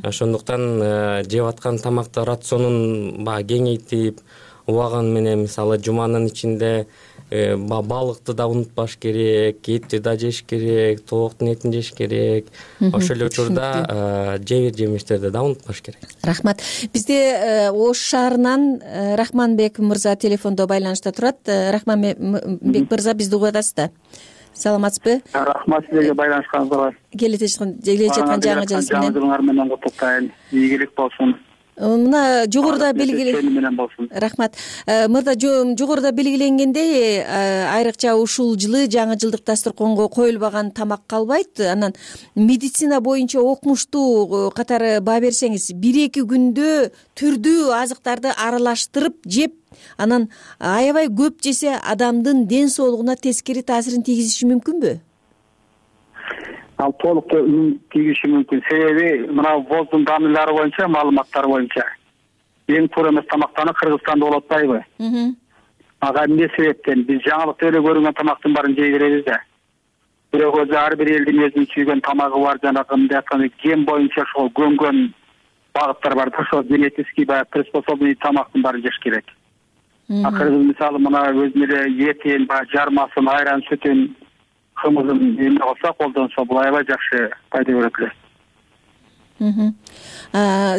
Ошондуктан жеп аткан тамакты рационун кеңейтип, убаган менен мисалы жуманын ичинде балыкты да унутпаш керек, этти да жеш керек, тооктун этин жеш керек. Ошол эле учурда жебир жемиштерди да унутпаш керек. Рахмат. Бизде Ош шаарынан Рахманбек мырза телефондо байланышта турат. Рахманбек мырза, бизди угуп атасызбы? Саламатсызбы? Рахмат сизге байланышканыңызга. Келе жаткан жаңы жылыңар менен куттуктайм. Ийгилик болсун. Мына жогоруда рахмат. Мырза, жогоруда белгиленгендей, айрыкча ушул жылы жаңы жылдык дасторконго коюлбаган тамак калбайт. Анан медицина боюнча окумуштуу катары баа берсеңиз, 1-2 күндө түрдүү азыктарды аралаштырып жеп, анан аябай көп жесе адамдын ден соолугуна тескери таасирин тийгизиши мүмкүнбү? Ал толук тийгизиши мүмкүн. Себеби мына воздун данылары боюнча, маалыматтар боюнча эң туура эмес тамактаны Кыргызстанда болуп атпайбы? Ага эмне себептен биз жаңылыкта эле көрүнгөн тамактын баарын жей беребиз да. Бирок өзү ар бир элдин өзүнүн сүйгөн тамагы бар, жанагы мындай айтканда ген боюнча ошол көнгөн багыттар бар да, ошол генетический приспособленный тамактын баарын жеш керек. Кыргыз мисалы мына өзүнүн эле этин, баягы жармасын, айран, сүтүн, кымызын эме кылса, колдонсо бул аябай жакшы пайда берет эле.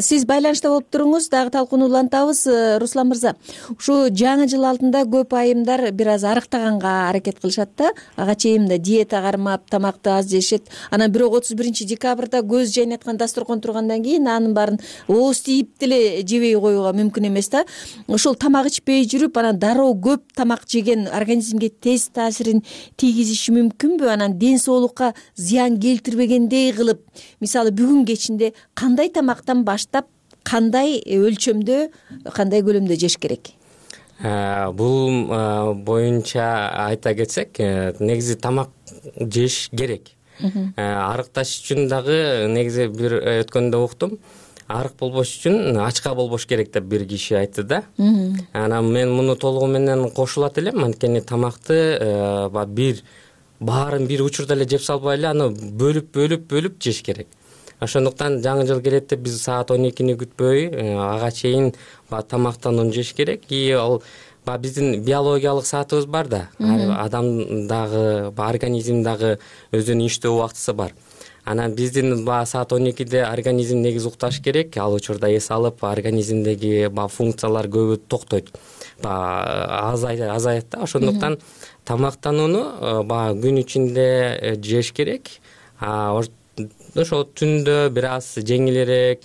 Сиз байланышта болуп туруңуз, дагы талкууну улантабыз. Руслан мырза, ушу жаңы жыл алдында көп айымдар бир аз арыктаганга аракет кылышат да, ага чейин да диета кармап, тамакты аз жешет. Анан бирок 31-декабрда көз жайнаткан дасторкон тургандан кийин анын баарын ооз тийип деле жебей коюуга мүмкүн эмес да. Ошол тамак ичпей жүрүп, анан дароо көп тамак жеген организмге тез таасирин тийгизиши мүмкүнбү? Анан ден соолукка зыян келтирбегендей кылып, мисалы бүгүн кечинде кандай тамактан баштап, кандай өлчөмдө, кандай көлөмдө жеш керек? Бул боюнча айта кетсек, негизи тамак жеш керек. Арыкташ үчүн дагы негизи бир өткөндө уктум. Арык болбош үчүн ачка болбош керек деп бир киши айтты да. Анан мен муну толугу менен кошулат элем. Анткени тамакты баарын бир учурда эле жеп салбай эле, аны бөлүп жеш керек. Ошондуктан жаңы жыл келет деп биз саат 12-ни күтпөй, ага чейин тамактанууну жеш керек. И ал биздин биологиялык саатыбыз бар да. Адамдагы, организмдагы өзүнүн иштөө убактысы бар. Анан биздин саат 12-де организм негизи укташ керек. Ал учурда эс алып, организмдеги функциялар көбү токтойт. Азаят да. Ошондуктан тамактанууну күн ичинде жеш керек. Ошо түндө бир аз жеңилирээк,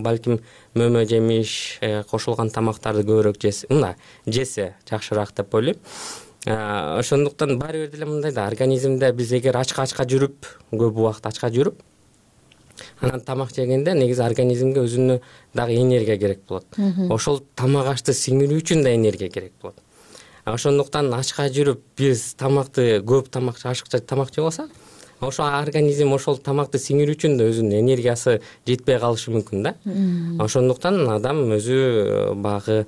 балким мөмө жемиш, кошулган тамактарды көбүрөөк жесе жакшыраак деп ойлойм. Ошондуктан баары бир деле мындай да, организмде биз эгер ачка жүрүп, көп убакыт ачка жүрүп, анан тамак жегенде негизи организмге өзүнө дагы энергия керек болот. Ошол тамак ашты сиңирүү үчүн да энергия керек болот. Ошондуктан ачка жүрүп биз тамакты көп ашыкча тамак жеп алсак, ошо организм ошол тамакты сиңирүү үчүн да өзүнүн энергиясы жетпей калышы мүмкүн да. Ошондуктан адам өзү багы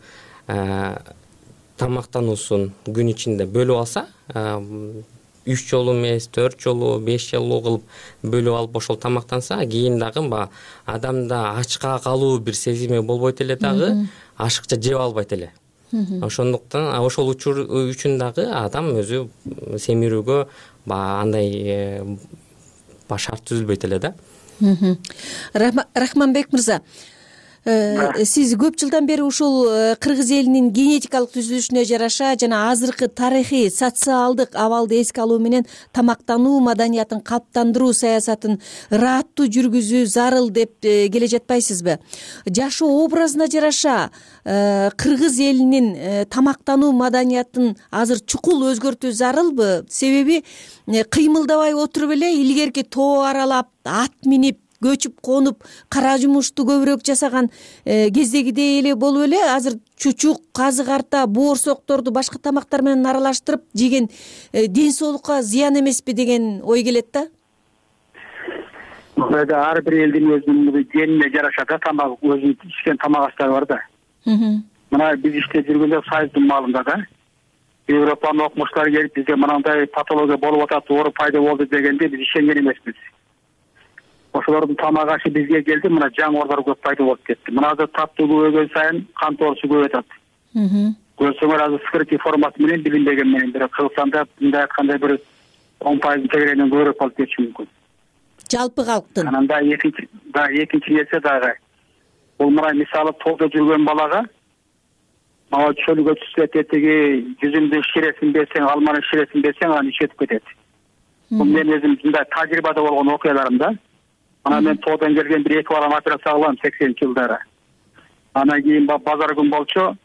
тамактануусун күн ичинде бөлүп алса, 3 жолу эмес, 4 жолу, 5 жолу кылып бөлүп алып ошол тамактанса, кийин дагы адамда ачка калуу бир сезими болбойт эле дагы, ашыкча жеп албайт эле. Ошондуктан ошол үчүн дагы адам өзү семирүүгө андай шарт түзүлбөйт эле да. Рахманбек мырза, сиз көп жылдан бери ушул кыргыз элинин генетикалык түзүлүшүнө жараша жана азыркы тарыхый, социалдык абалды эске алуу менен тамактануу маданиятын калыптандыруу саясатын ырааттуу жүргүзүү зарыл деп келе жатпайсызбы? Жашоо образына жараша кыргыз элинин тамактануу маданиятын азыр чукул өзгөртүү зарылбы? Себеби кыймылдабай отуруп эле илгерки тоо аралап, ат минип, көчүп конуп, кара жумушту көбүрөөк жасаган кездегидей эле болуп эле азыр чучук, казы карта, боорсокторду башка тамактар менен аралаштырып жеген ден соолукка зыян эмеспи деген ой келет да. Ар бир элдин өзүнүн генине жараша да тамак, өзүнүн ичкен тамак аштары бар да. Мына биз иштеп жүргөндө Союздун маалында да Европанын окумуштары келип бизге мынандай патология болуп атат, оору пайда болду дегенде биз ишенген эмеспиз. Ошолордун тамак ашы бизге келди, мына жаңылдар көп пайда болуп кетти. Мына азыр таттуу көбөйгөн сайын кан тоосу көбөйүп атат. Көрсөңөр азыр скрытый формасы менен билинбеген менен бир Кыргызстанда мындай айтканда бир 10% тегеренен көбүрөөк болуп кетиши мүмкүн. Жалпы калктын. Анан да экинчи нерсе дагы. Бул мына мисалы тоодо жүргөн балага чөлгө түшсө тетиги жүзүмдүн ширесин берсең, алманын ширесин берсең, аны ичетип кетет. Бул мен өзүм мындай тажрыйбада болгон окуяларым да. Анан мен тоодон келген бир 2 баланы операция кылгам 80-жылдары. Анан кийин базар күн болчу,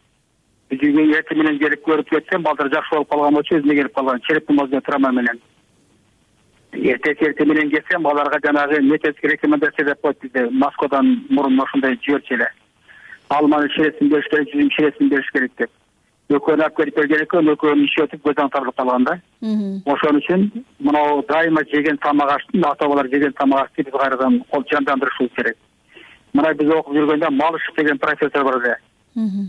бизге эртең менен келип көрүп кетсем, балдар жакшы болуп калган болчу, өзүнө келип калган череп мозга травма менен. Эртең менен келсем, балдарга жанагы методик рекомендация деп коет бизде, Москвадан мурун ошондой жиберчү эле. Алманын ширесин бериш керек, жүзүм ширесин бериш керек деп. Экөөнү алып келип берген экен, экөөнү ичип көзөн тарылып калган да. Ошон үчүн мына дайыма жеген тамак аштын, ата-бабалар жеген тамак ашты биз кайрадан жандандырышыбыз керек. Мына биз окуп жүргөндө Малышев деген профессор бар эле.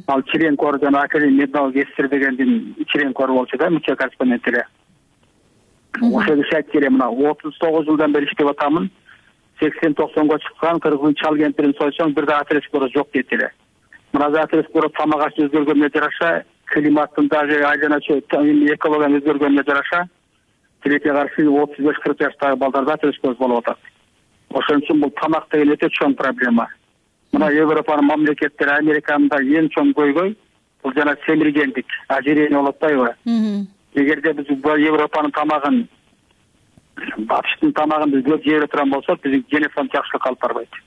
Ал членкор жана академик медал кесир дегендин членкору болчу да, мүчө корреспондент эле. Ошол киши айтты эле, мына 39 жылдан бери иштеп атамын. 80-90го чыккан кыргыздын чал кемпирин сойсоң бир да атересклороз жок дейт эле. Мына атересклороз тамак ашты өзгөргөнүнө жараша климаттын дагы айлана экологиянын өзгөргөнүнө жараша тилекке каршы 35-40 жаштагы балдар да төшкөз болуп атат. Ошон үчүн бул тамак деген өтө чоң проблема. Мына Европанын мамлекеттери, Американын да эң чоң көйгөй бул жана семиргендик, ожирение болуп атпайбы? Эгерде биз Европанын тамагын, батыштын тамагын биз көп жей турган болсок, биздин генофонд жакшылыкка алып барбайт.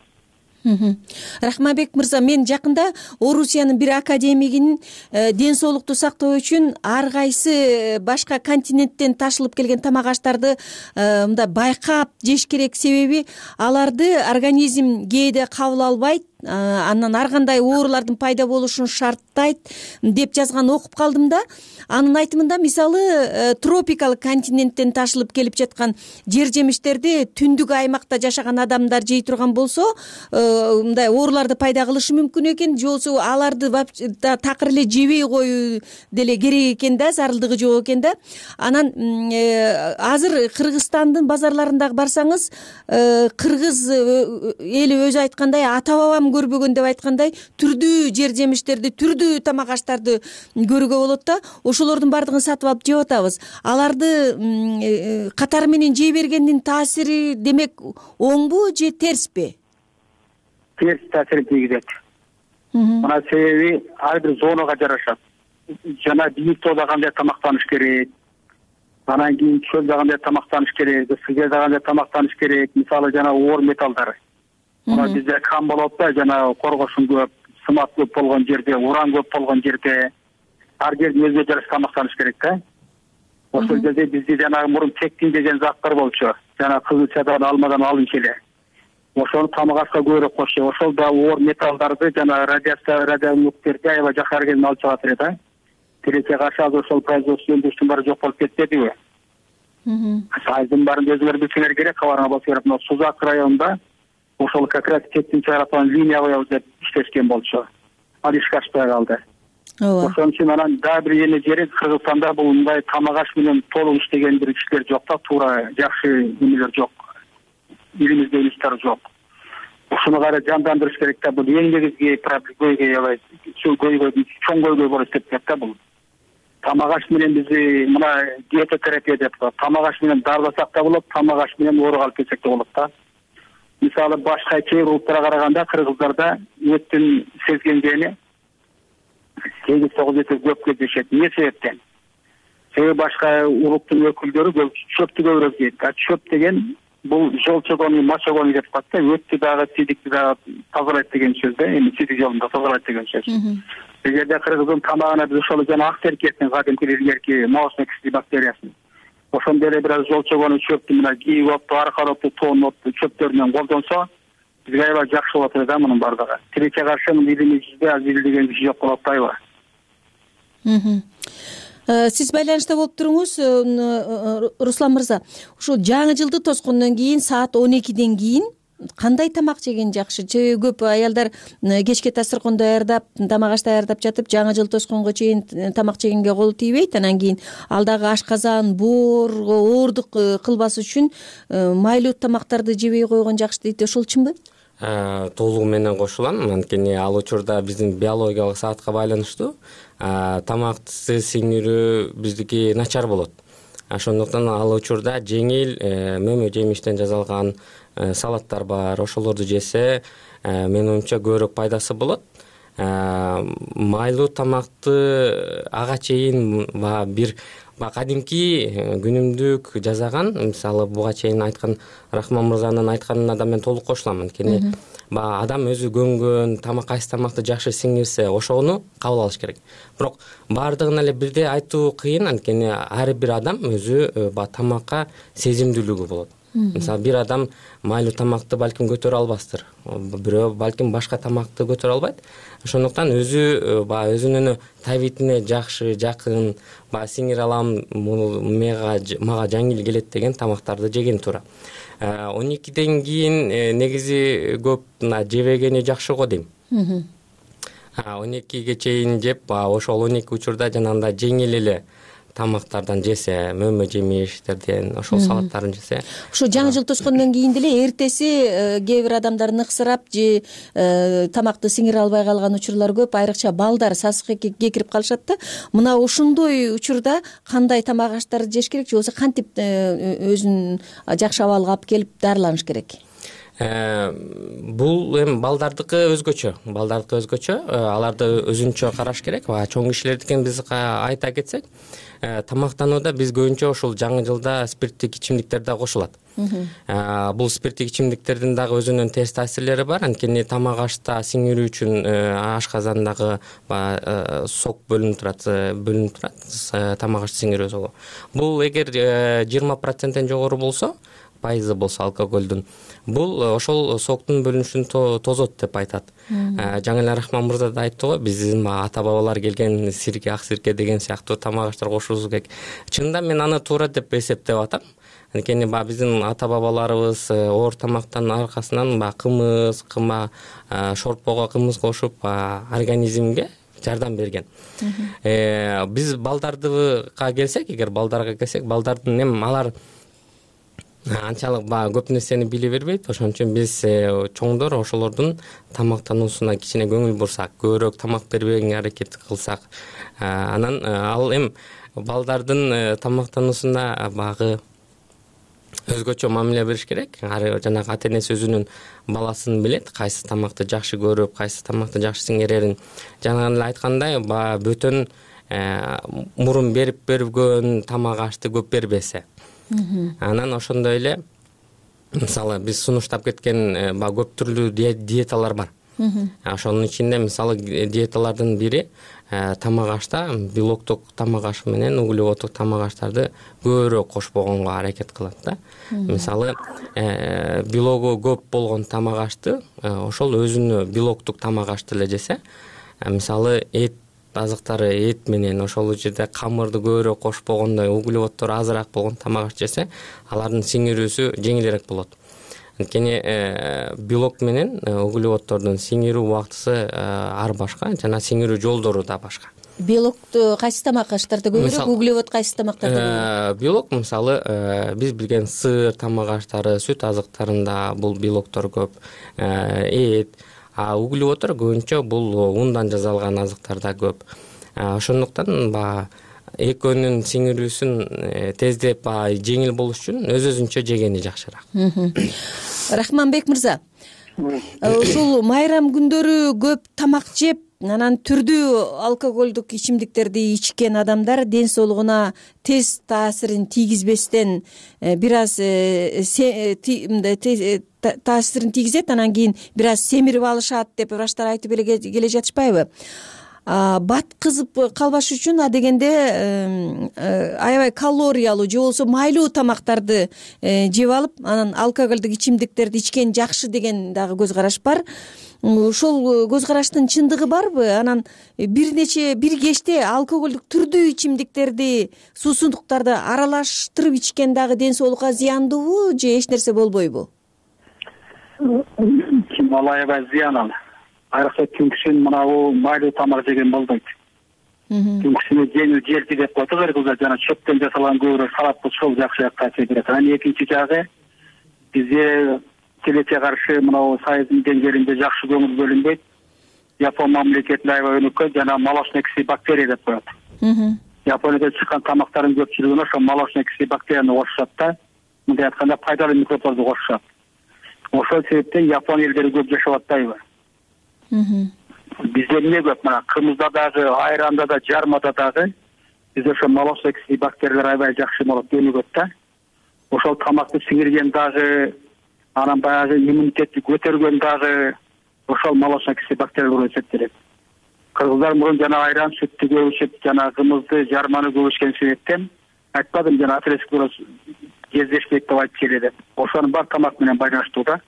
Рахманбек мырза, мен жакында Орусиянын бир академигинин ден соолукту сактоо үчүн ар кайсы башка континенттен ташылып келген тамак аштарды мындай байкап жеш керек, себеби аларды организм кээде кабыл албайт, андан ар кандай оорулардын пайда болушун шарттайт деп жазган окуп калдым да. Анын айтымында мисалы тропикалык континенттен ташылып келип жаткан жер жемиштерди түндүк аймакта жашаган адамдар жей турган болсо мындай ооруларды пайда кылышы мүмкүн экен, же болбосо аларды такыр эле жебей коюу деле керек экен да, зарылдыгы жок экен да. Анан азыр Кыргызстандын базарларындагы барсаңыз, кыргыз эли өзү айткандай ата бабам көрбөгөн деп айткандай түрдүү жер жемиштерди, түрдүү тамак аштарды көрүүгө болот да. Ошолордун баардыгын сатып алып жеп атабыз. Аларды катары менен жей бергендин таасири демек оңбу же терспи? Терс таасир тийгизет. Мына себеби ар бир зонага жарашат. Жана бийик тоодо кандай тамактаныш керек, анан кийин чөлдө кандай тамактаныш керек, сыгерде кандай тамактаныш керек, мисалы жана оор металлдар. Мына бизде кам болот да, жана коргошун көп, сымат көп болгон жерде, уран көп болгон жерде ар жердин өзүнө жараша тамактаныш керек да. Ошол жерде бизде жанагы мурун тектин деген заттар болчу. Жана кызылчадан, алмадан алынчу эле. Ошону тамак ашка көбүрөөк кошчу. Ошол да оор металлдарды жана радиоактивдерди аябай жакшы келип алып чыгат эле да. Тилекке каршы азыр ошол производство өндүрүштүн баары жок болуп кетпедиби? Сайдын баарын өзүңөр билсеңер керек, кабарыңа басып берип, мына Сузак районунда ошол как раз тектин чыгаратын линия коебуз деп иштешкен болчу. Ал ишке ашпай калды. Ошон үчүн анан дагы бир эне жери Кыргызстанда бул мындай тамак аш менен толук иштеген бир кишилер жок да, туура жакшы эмелер жок. Элимизде институт жок. Ушуну кайра жандандырыш керек да. Бул эң негизги көйгөй, чоң көйгөй болуп эсептелет да бул. Тамак аш менен биз мына диетотерапия деп коет. Тамак аш менен дарыласак да болот, тамак аш менен ооруга алып келсек да болот да. Мисалы башка кээ бир улуттарга караганда кыргыздарда өттүн сезгенгени 8-9 көп кездешет. Эмне себептен? Себеби башка улуттун өкүлдөрү чөптү көбүрөөк жейт. Чөп деген бул жолчогону, мочогону деп коет да. Өттү дагы, сидикти дагы тазалайт деген сөз да. Эми сидик жолунда тазалайт деген сөз. Эгерде кыргыздын тамагына биз ошол жана ак теркеттин кадимки илгерки молочный бактериясын, ошондой эле бир аз жолчогону, чөптү, мына кийик отту, аркар отту, тоон отту чөптөрүнөн колдонсо, бизге аябай жакшы болот эле да мунун баардыгы. Тилекке каршы илимибизде аз билген киши жок болуп атпайбы? Сиз байланышта болуп туруңуз, Руслан мырза. Ушул жаңы жылды тоскондон кийин саат 12ден кийин кандай тамак жеген жакшы? Көп аялдар кечке дасторконду даярдап, тамак аш даярдап жатып, жаңы жыл тосконго чейин тамак жегенге колу тийбейт. Анан кийин ал дагы ашказан, боорго оордук кылбас үчүн майлуу тамактарды жебей койгон жакшы дейт. Ошол чынбы? Толугу менен кошулам. Анткени ал учурда биздин биологиялык саатка байланыштуу тамакты сиңирүү биздики начар болот. Ошондуктан ал учурда жеңил мөмө жемиштен жасалган салаттар бар. Ошолорду жесе менин оюмча көбүрөөк пайдасы болот. Майлуу тамакты ага чейин бир кадимки күнүмдүк жасаган, мисалы буга чейин айткан Рахман мырзанын айтканына да мен толук кошулам. Анткени адам өзү көнгөн тамак, кайсы тамакты жакшы сиңирсе, ошону кабыл алыш керек. Бирок баардыгын эле бирдей айтуу кыйын, анткени ар бир адам өзү тамакка сезимдүүлүгү болот. Мисалы бир адам майлуу тамакты балким көтөрө албастыр, бирөө балким башка тамакты көтөрө албайт. Ошондуктан өзүнүн табитине жакшы, жакын, сиңире алам, мага жеңил келет деген тамактарды жеген туура. 12ден кийин негизи көп жебегени жакшы го дейм. 12ге чейин жеп, ошол 12 учурда жанагындай жеңил эле тамактардан жесе, мөмө жемиштерден ошол салаттарын жесе. Ошо жаңы жыл тоскондон кийин деле эртеси кээ бир адамдар ыксырап же тамакты сиңире албай калган учурлар көп, айрыкча балдар сасыкка кекирип калышат да. Мына ошондой учурда кандай тамак аштарды жеш керек же болбосо кантип өзүн жакшы абалга алып келип дарыланыш керек? Бул эми балдардыкы өзгөчө, аларды өзүнчө караш керек. Чоң кишилердикин биз айта кетсек, тамактанууда биз көбүнчө ошол жаңы жылда спирттик ичимдиктер да кошулат. Бул спирттик ичимдиктердин дагы өзүнүн терс таасирлери бар. Анткени тамак ашта сиңирүү үчүн ашказандагы сок бөлүнүп турат, тамак ашты сиңирүү согу. Бул эгер 20%-тен жогору болсо, пайызы болсо алкоголдун, бул ошол соктун бөлүнүшүн тозот деп айтат. Жаңы эле Рахман мырза да айтты го, биздин ата бабалар келген сирке, ак сирке деген сыяктуу тамак аштар кошуубуз керек. Чынында мен аны туура деп эсептеп атам. Анткени биздин ата бабаларыбыз оор тамактын аркасынан кымыз, кыма, шорпого кымыз кошуп организмге жардам берген. Биз балдарга келсек, балдардын эми алар анчалык көп нерсени биле бербейт. Ошон үчүн биз чоңдор ошолордун тамактануусуна кичине көңүл бурсак, көбүрөөк тамак бербегенге аракет кылсак, анан ал эми балдардын тамактануусуна багы өзгөчө мамиле бериш керек. Жанагы ата энеси өзүнүн баласын билет, кайсы тамакты жакшы көрүп, кайсы тамакты жакшы сиңерерин. Жана эле айткандай, бөтөн мурун берген тамак ашты көп бербесе. Анан ошондой эле мисалы биз сунуштап кеткен көп түрлүү диеталар бар. Ошонун ичинде мисалы диеталардын бири тамак ашта белоктук тамак аш менен углеводдук тамак аштарды көбүрөөк кошпогонго аракет кылат да. Мисалы белогу көп болгон тамак ашты ошол өзүнө белоктук тамак ашты эле жесе, мисалы эт азыктары, эт менен ошол жерде камырды көбүрөөк кошпогондой, углеводдор азыраак болгон тамак аш жесе, алардын сиңирүүсү жеңилирээк болот. Анткени белок менен углеводдордун сиңирүү убактысы ар башка, жана сиңирүү жолдору да башка. Белокту кайсы тамак аштарда көбүрөөк, углевод кайсы тамактарда көбүрөөк? Белок мисалы биз билген сыр тамак аштары, сүт азыктарында бул белоктор көп, эт, углеводдор көбүнчө бул ундан жасалган азыктарда көп. Ошондуктан экөөнүн сиңирүүсүн тездеп жеңил болуш үчүн өзүнчө жегени жакшыраак. Рахманбек мырза, ушул майрам күндөрү көп тамак жеп, анан түрдүү алкоголдук ичимдиктерди ичкен адамдар ден соолугуна тез таасирин тийгизбестен бир аз таасирин тийгизет, анан кийин бир аз семирип алышат деп врачтар айтып эле келе жатышпайбы? Баткызып калбаш үчүн адегенде аябай калориялуу же болбосо майлуу тамактарды жеп алып, анан алкоголдук ичимдиктерди ичкен жакшы деген дагы көз караш бар. Ошол көз караштын чындыгы барбы? Анан бир кечте алкоголдук түрдүү ичимдиктерди, суусундуктарды аралаштырып ичкен дагы ден соолукка зыяндуубу же эч нерсе болбойбу? Ал аябай зыян ал. Айрыкча түнкүсүн мынабу майлуу тамак жеген болбойт. Түнкүсүн жеңил жерти деп коет кыргыздар, жана чөптөн жасалган көбүрөөк салат болсо жакшыраак таасир берет. Анан экинчи жагы бизде тилекке каршы мынабу сайыздын деңгээлинде жакшы көңүл бөлүнбөйт. Япон мамлекетинде аябай өнүккөн жана молочный бактерия деп коет. Японияда чыккан тамактардын көпчүлүгүнө ошо молочный бактерияны кошушат да, мындай айтканда пайдалуу микробдорду кошушат. Ошол себептен Япон элдери көп жашап атпайбы? Бизде эмне көп? Мына кымызда дагы, айранда да, жармада дагы бизде ошо молочный бактериялар аябай жакшы болот, өнүгөт да. Ошол тамакты сиңирген дагы, анан баягы иммунитетти көтөргөн дагы ошол молочный бактериялар эсептелет. Кыргыздар мурун жана айран, сүттү көп ичип, жана кымызды, жарманы көп ичкен себептен айтпадым, жана атеросклероз кездешпейт деп айтып келе деп. Ошонун бар тамак менен байланыштуу да.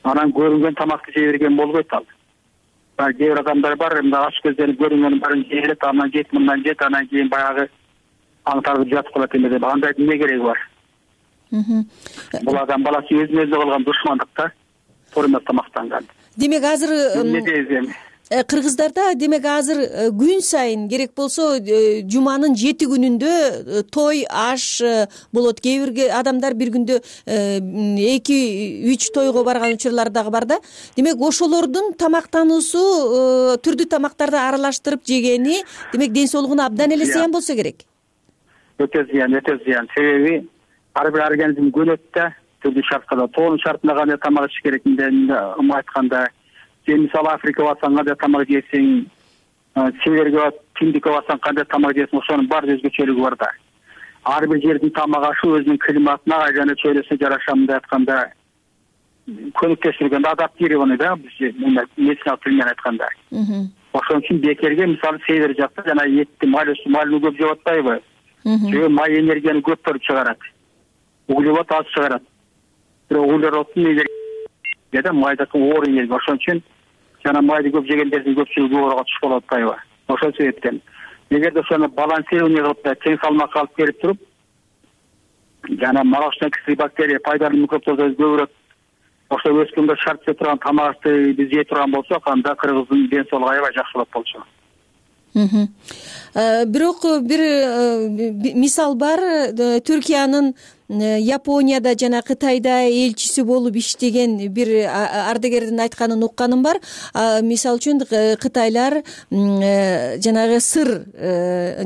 Анан көрүнгөн тамакты жей берген болбойт ал. Кээ бир адамдар бар, мына аш көздөрүн көрүнгөнүн баарын жейт, анан жейт, мындан жейт, анан кийин баягы аңтарып жатып калат эме деп. Андай эмне кереги бар? Бул адам баласы өзүнө өзү кылган душмандык да, туура эмес тамактанган. Демек азыр кыргыздарда демек азыр күн сайын керек болсо жуманын 7 күнүндө той аш болот. Кээ бир адамдар бир күндө 2-3 тойго барган учурлар дагы бар да. Демек ошолордун тамактануусу түрдүү тамактарды аралаштырып жегени демек ден соолугуна абдан эле зыян болсо керек. Өтө зыян. Себеби ар бир организм көнөт да, түрдүү шарткада. Тоонун шартында кандай тамак иш керек дегенде айтканда, сен мисалы Африкага барсаң кандай тамак жейсиң, северге Тиндикке барсаң кандай тамак жейсиң, ошонун бар өзгөчөлүгү бар да. Ар бир жердин тамак ашы өзүнүн климатына жана чөйрөсүнө жараша мындай айтканда көнүктөштүргөн, адаптированный да, биз медициналык тил менен айтканда. Ошон үчүн бекерге мисалы север жакта жана этти малын көп жеп атпайбы? Себеби май энергияны көп берип чыгарат. Углевод аз чыгарат. Бирок углероддун энергиясы майдыкы оор энергия. Ошон үчүн жана майды көп жегендердин көпчүлүгү ооруга түшүп калып атпайбы? Ошол себептен эгерде ошону балансирование кылып тең салмак алып берип туруп, жана молочный кислый бактерия пайдалуу микробторду көбүрөөк ошо өскөндө шарт жеп турган тамакты биз жей турган болсок, анда кыргыздын ден соолугу аябай жакшы болот болчу. Бирок бир мисал бар. Түркиянын Японияда жана Кытайда элчиси болуп иштеген бир ардагердин айтканын укканым бар. Мисалы үчүн Кытайлар жанагы сыр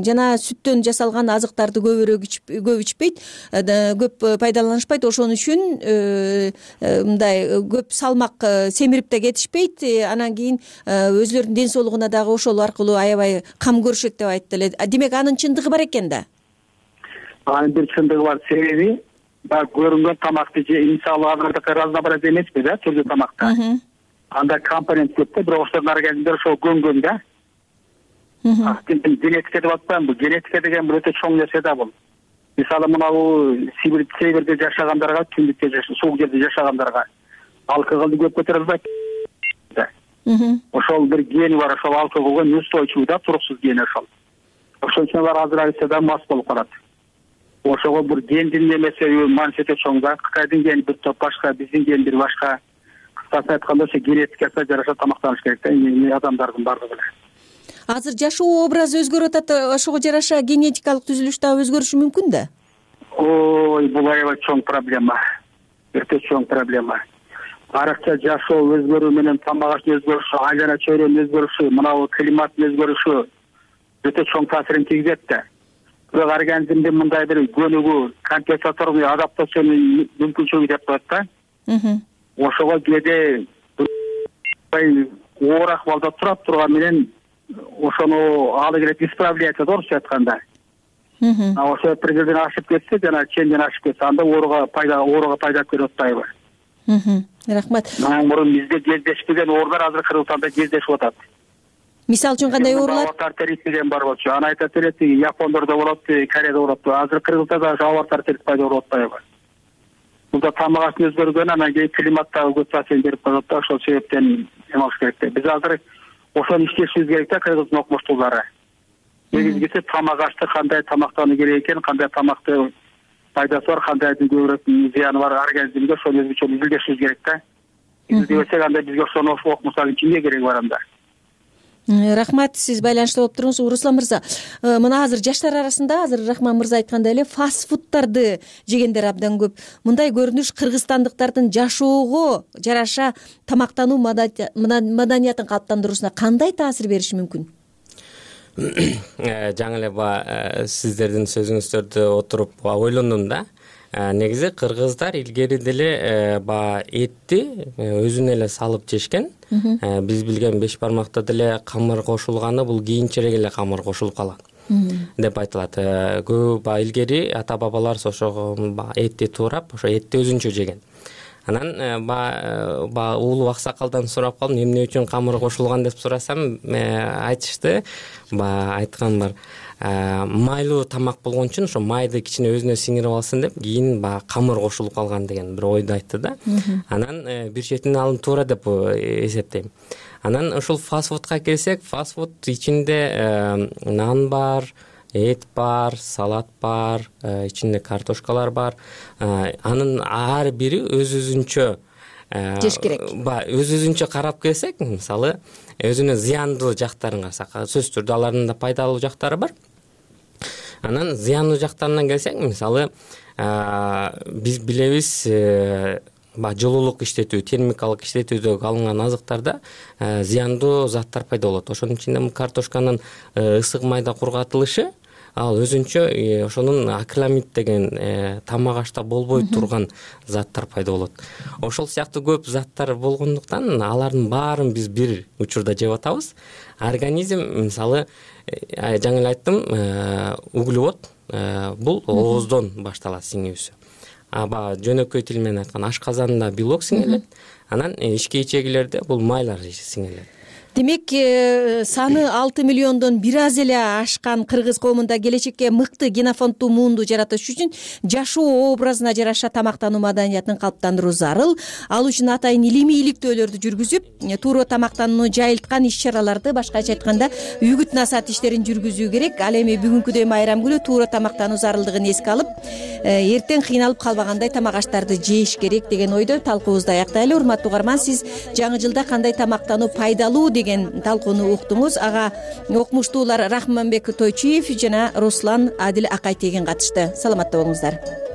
жана сүттөн жасалган азыктарды көп ичпейт, көп пайдаланышпайт. Ошон үчүн мындай көп салмак семирип да кетишпейт. Анан кийин өзлөрүнүн ден соолугуна дагы ошол аркылуу аябай кам көрүшөт деп айтты эле. Демек анын чындыгы бар экен да. Анын бир чындыгы бар. Себеби көрүнгөн тамакты мисалы азыркы разнообразие эмеспи да, түрдүү тамакта. Анда компонент көп да, бирок ошолордун организмдер ошол көнгөн да. Генетика деп атпаймынбы? Генетика деген бир өтө чоң нерсе да бул. Мисалы мынабу северде жашагандарга, түндүктө суук жерде жашагандарга алкоголду көп көтөрө албайт. Ошол бир гени бар, ошол алкоголго неустойчивый да, туруксуз гени ошол. Ошон үчүн алар азыр айтса да мас болуп калат. Ошого бир гендин немеси мааниси өтө чоң да. Кытайдын гени бир топ башка, биздин ген бир башка. Кыскасы айтканда ошо генетикасына жараша тамактаныш керек да, адамдардын бардыгы эле. Азыр жашоо образы өзгөрүп атат, ошого жараша генетикалык түзүлүш дагы өзгөрүшү мүмкүн да? Ой, бул аябай чоң проблема. Өтө чоң проблема. Аракча жашоо өзгөрүү менен тамак аштын өзгөрүшү, айлана чөйрөнүн өзгөрүшү, мынабу климаттын өзгөрүшү өтө чоң таасирин тийгизет да. Бирок организмдин мындай бир көнүгүү, компенсаторный адаптациянын мүмкүнчүлүгү деп коет да. Ошого кээде оор акыбалда турат турган менен ошону алы келет исправлять да, орусча айтканда. Ошо бир жерден ашып кетсе, жана ченден ашып кетсе, анда ооруга пайда көрүп атпайбы? Рахмат. Мурун бизде кездешпеген оорулар азыр Кыргызстанда кездешип атат. Мисалы үчүн кандай оорулар? Аварт деген бар болчу. Аны айтат элек, Япондордо болот, Кореяда болот. Азыр Кыргызда да аварт пайда болуп атпайбы? Бул да тамак аштын өзгөргөнү, анан кийин климаттагы көп таасир берип коет да, ошол себептен эмалыш керек да. Биз азыр ошону иштешибиз керек да, Кыргыздын окумуштуулары. Негизгиси тамак ашты кандай тамактануу керек экен, кандай тамакты пайдасы бар, кандайдын көбүрөөк зыяны бар организмге, ошону өзгөчө билдиришибиз керек да. Изилдебесек анда бизге ошону окумуштардын кимге кереги бар анда? Рахмат, сиз байланышта болуп туруңуз. Руслан мырза, мына азыр жаштар арасында, азыр Рахман мырза айткандай эле, фастфудтарды жегендер абдан көп. Мындай көрүнүш кыргызстандыктардын жашоого жараша тамактануу маданиятын калыптандыруусуна кандай таасир бериши мүмкүн? Жаңы эле сиздердин сөзүңүздөрдү отуруп ойлондум да. Негизи кыргыздар илгери деле этти өзүнө эле салып жешкен. Биз билген 5 бармакта деле камыр кошулганы бул кийинчерээк эле камыр кошулуп калган деп айтылат. Көп илгери ата бабалар ошого этти туурап, ошо этти өзүнчө жеген. Анан улуу аксакалдан сурап калдым, эмне үчүн камыр кошулган деп сурасам, айтышты, айткан бар. Майлуу тамак болгон үчүн ошо майды кичине өзүнө сиңирип алсын деп кийин камыр кошулуп калган деген бир ойду айтты да. Анан бир четинен алым туура деп эсептейм. Анан ушул фастфудка келсек, фастфуд ичинде нан бар, эт бар, салат бар, ичинде картошкалар бар. Анын ар бири өз-өзүнчө жеш керек. Өзүнчө карап келсек, мисалы өзүнүн зыяндуу жактарын карасак, сөзсүз түрдө алардын да пайдалуу жактары бар. Анан зыяндуу жактарынан келсек, мисалы биз билебиз, жылуулук иштетүү, термикалык иштетүүдө алынган азыктарда зыяндуу заттар пайда болот. Ошонун ичинде картошканын ысык майда кургатылышы, ал өзүнчө ошонун акриламид деген тамак ашта болбой турган заттар пайда болот. Ошол сыяктуу көп заттар болгондуктан алардын баарын биз бир учурда жеп атабыз. Организм, мисалы, жаңы эле айттым, углевод бул ооздон башталат сиңүүсү. Жөнөкөй тил менен айтканда ашказанда белок сиңелет, анан ички ичегилерде бул майлар сиңелет. Демек, саны 6 миллиондон бир аз эле ашкан кыргыз коомунда келечекке мыкты генофонддуу муунду жаратыш үчүн жашоо образына жараша тамактануу маданиятын калыптандыруу зарыл. Ал үчүн атайын илимий иликтөөлөрдү жүргүзүп, туура тамактанууну жайылткан иш-чараларды, башкача айтканда, үгүт насаат иштерин жүргүзүү керек. Ал эми бүгүнкүдөй майрам күнү туура тамактануу зарылдыгын эске алып, эртең кыйналып калбагандай тамак аштарды жеш керек деген ойдо талкуубузду аяктайлы. Урматтуу угарман, сиз жаңы жылда кандай тамактануу пайдалуу деген талкууну уктуңуз. Ага окумуштуулар Рахманбек Тойчиев жана Руслан Адил Акайтеген катышты. Саламатта болуңуздар.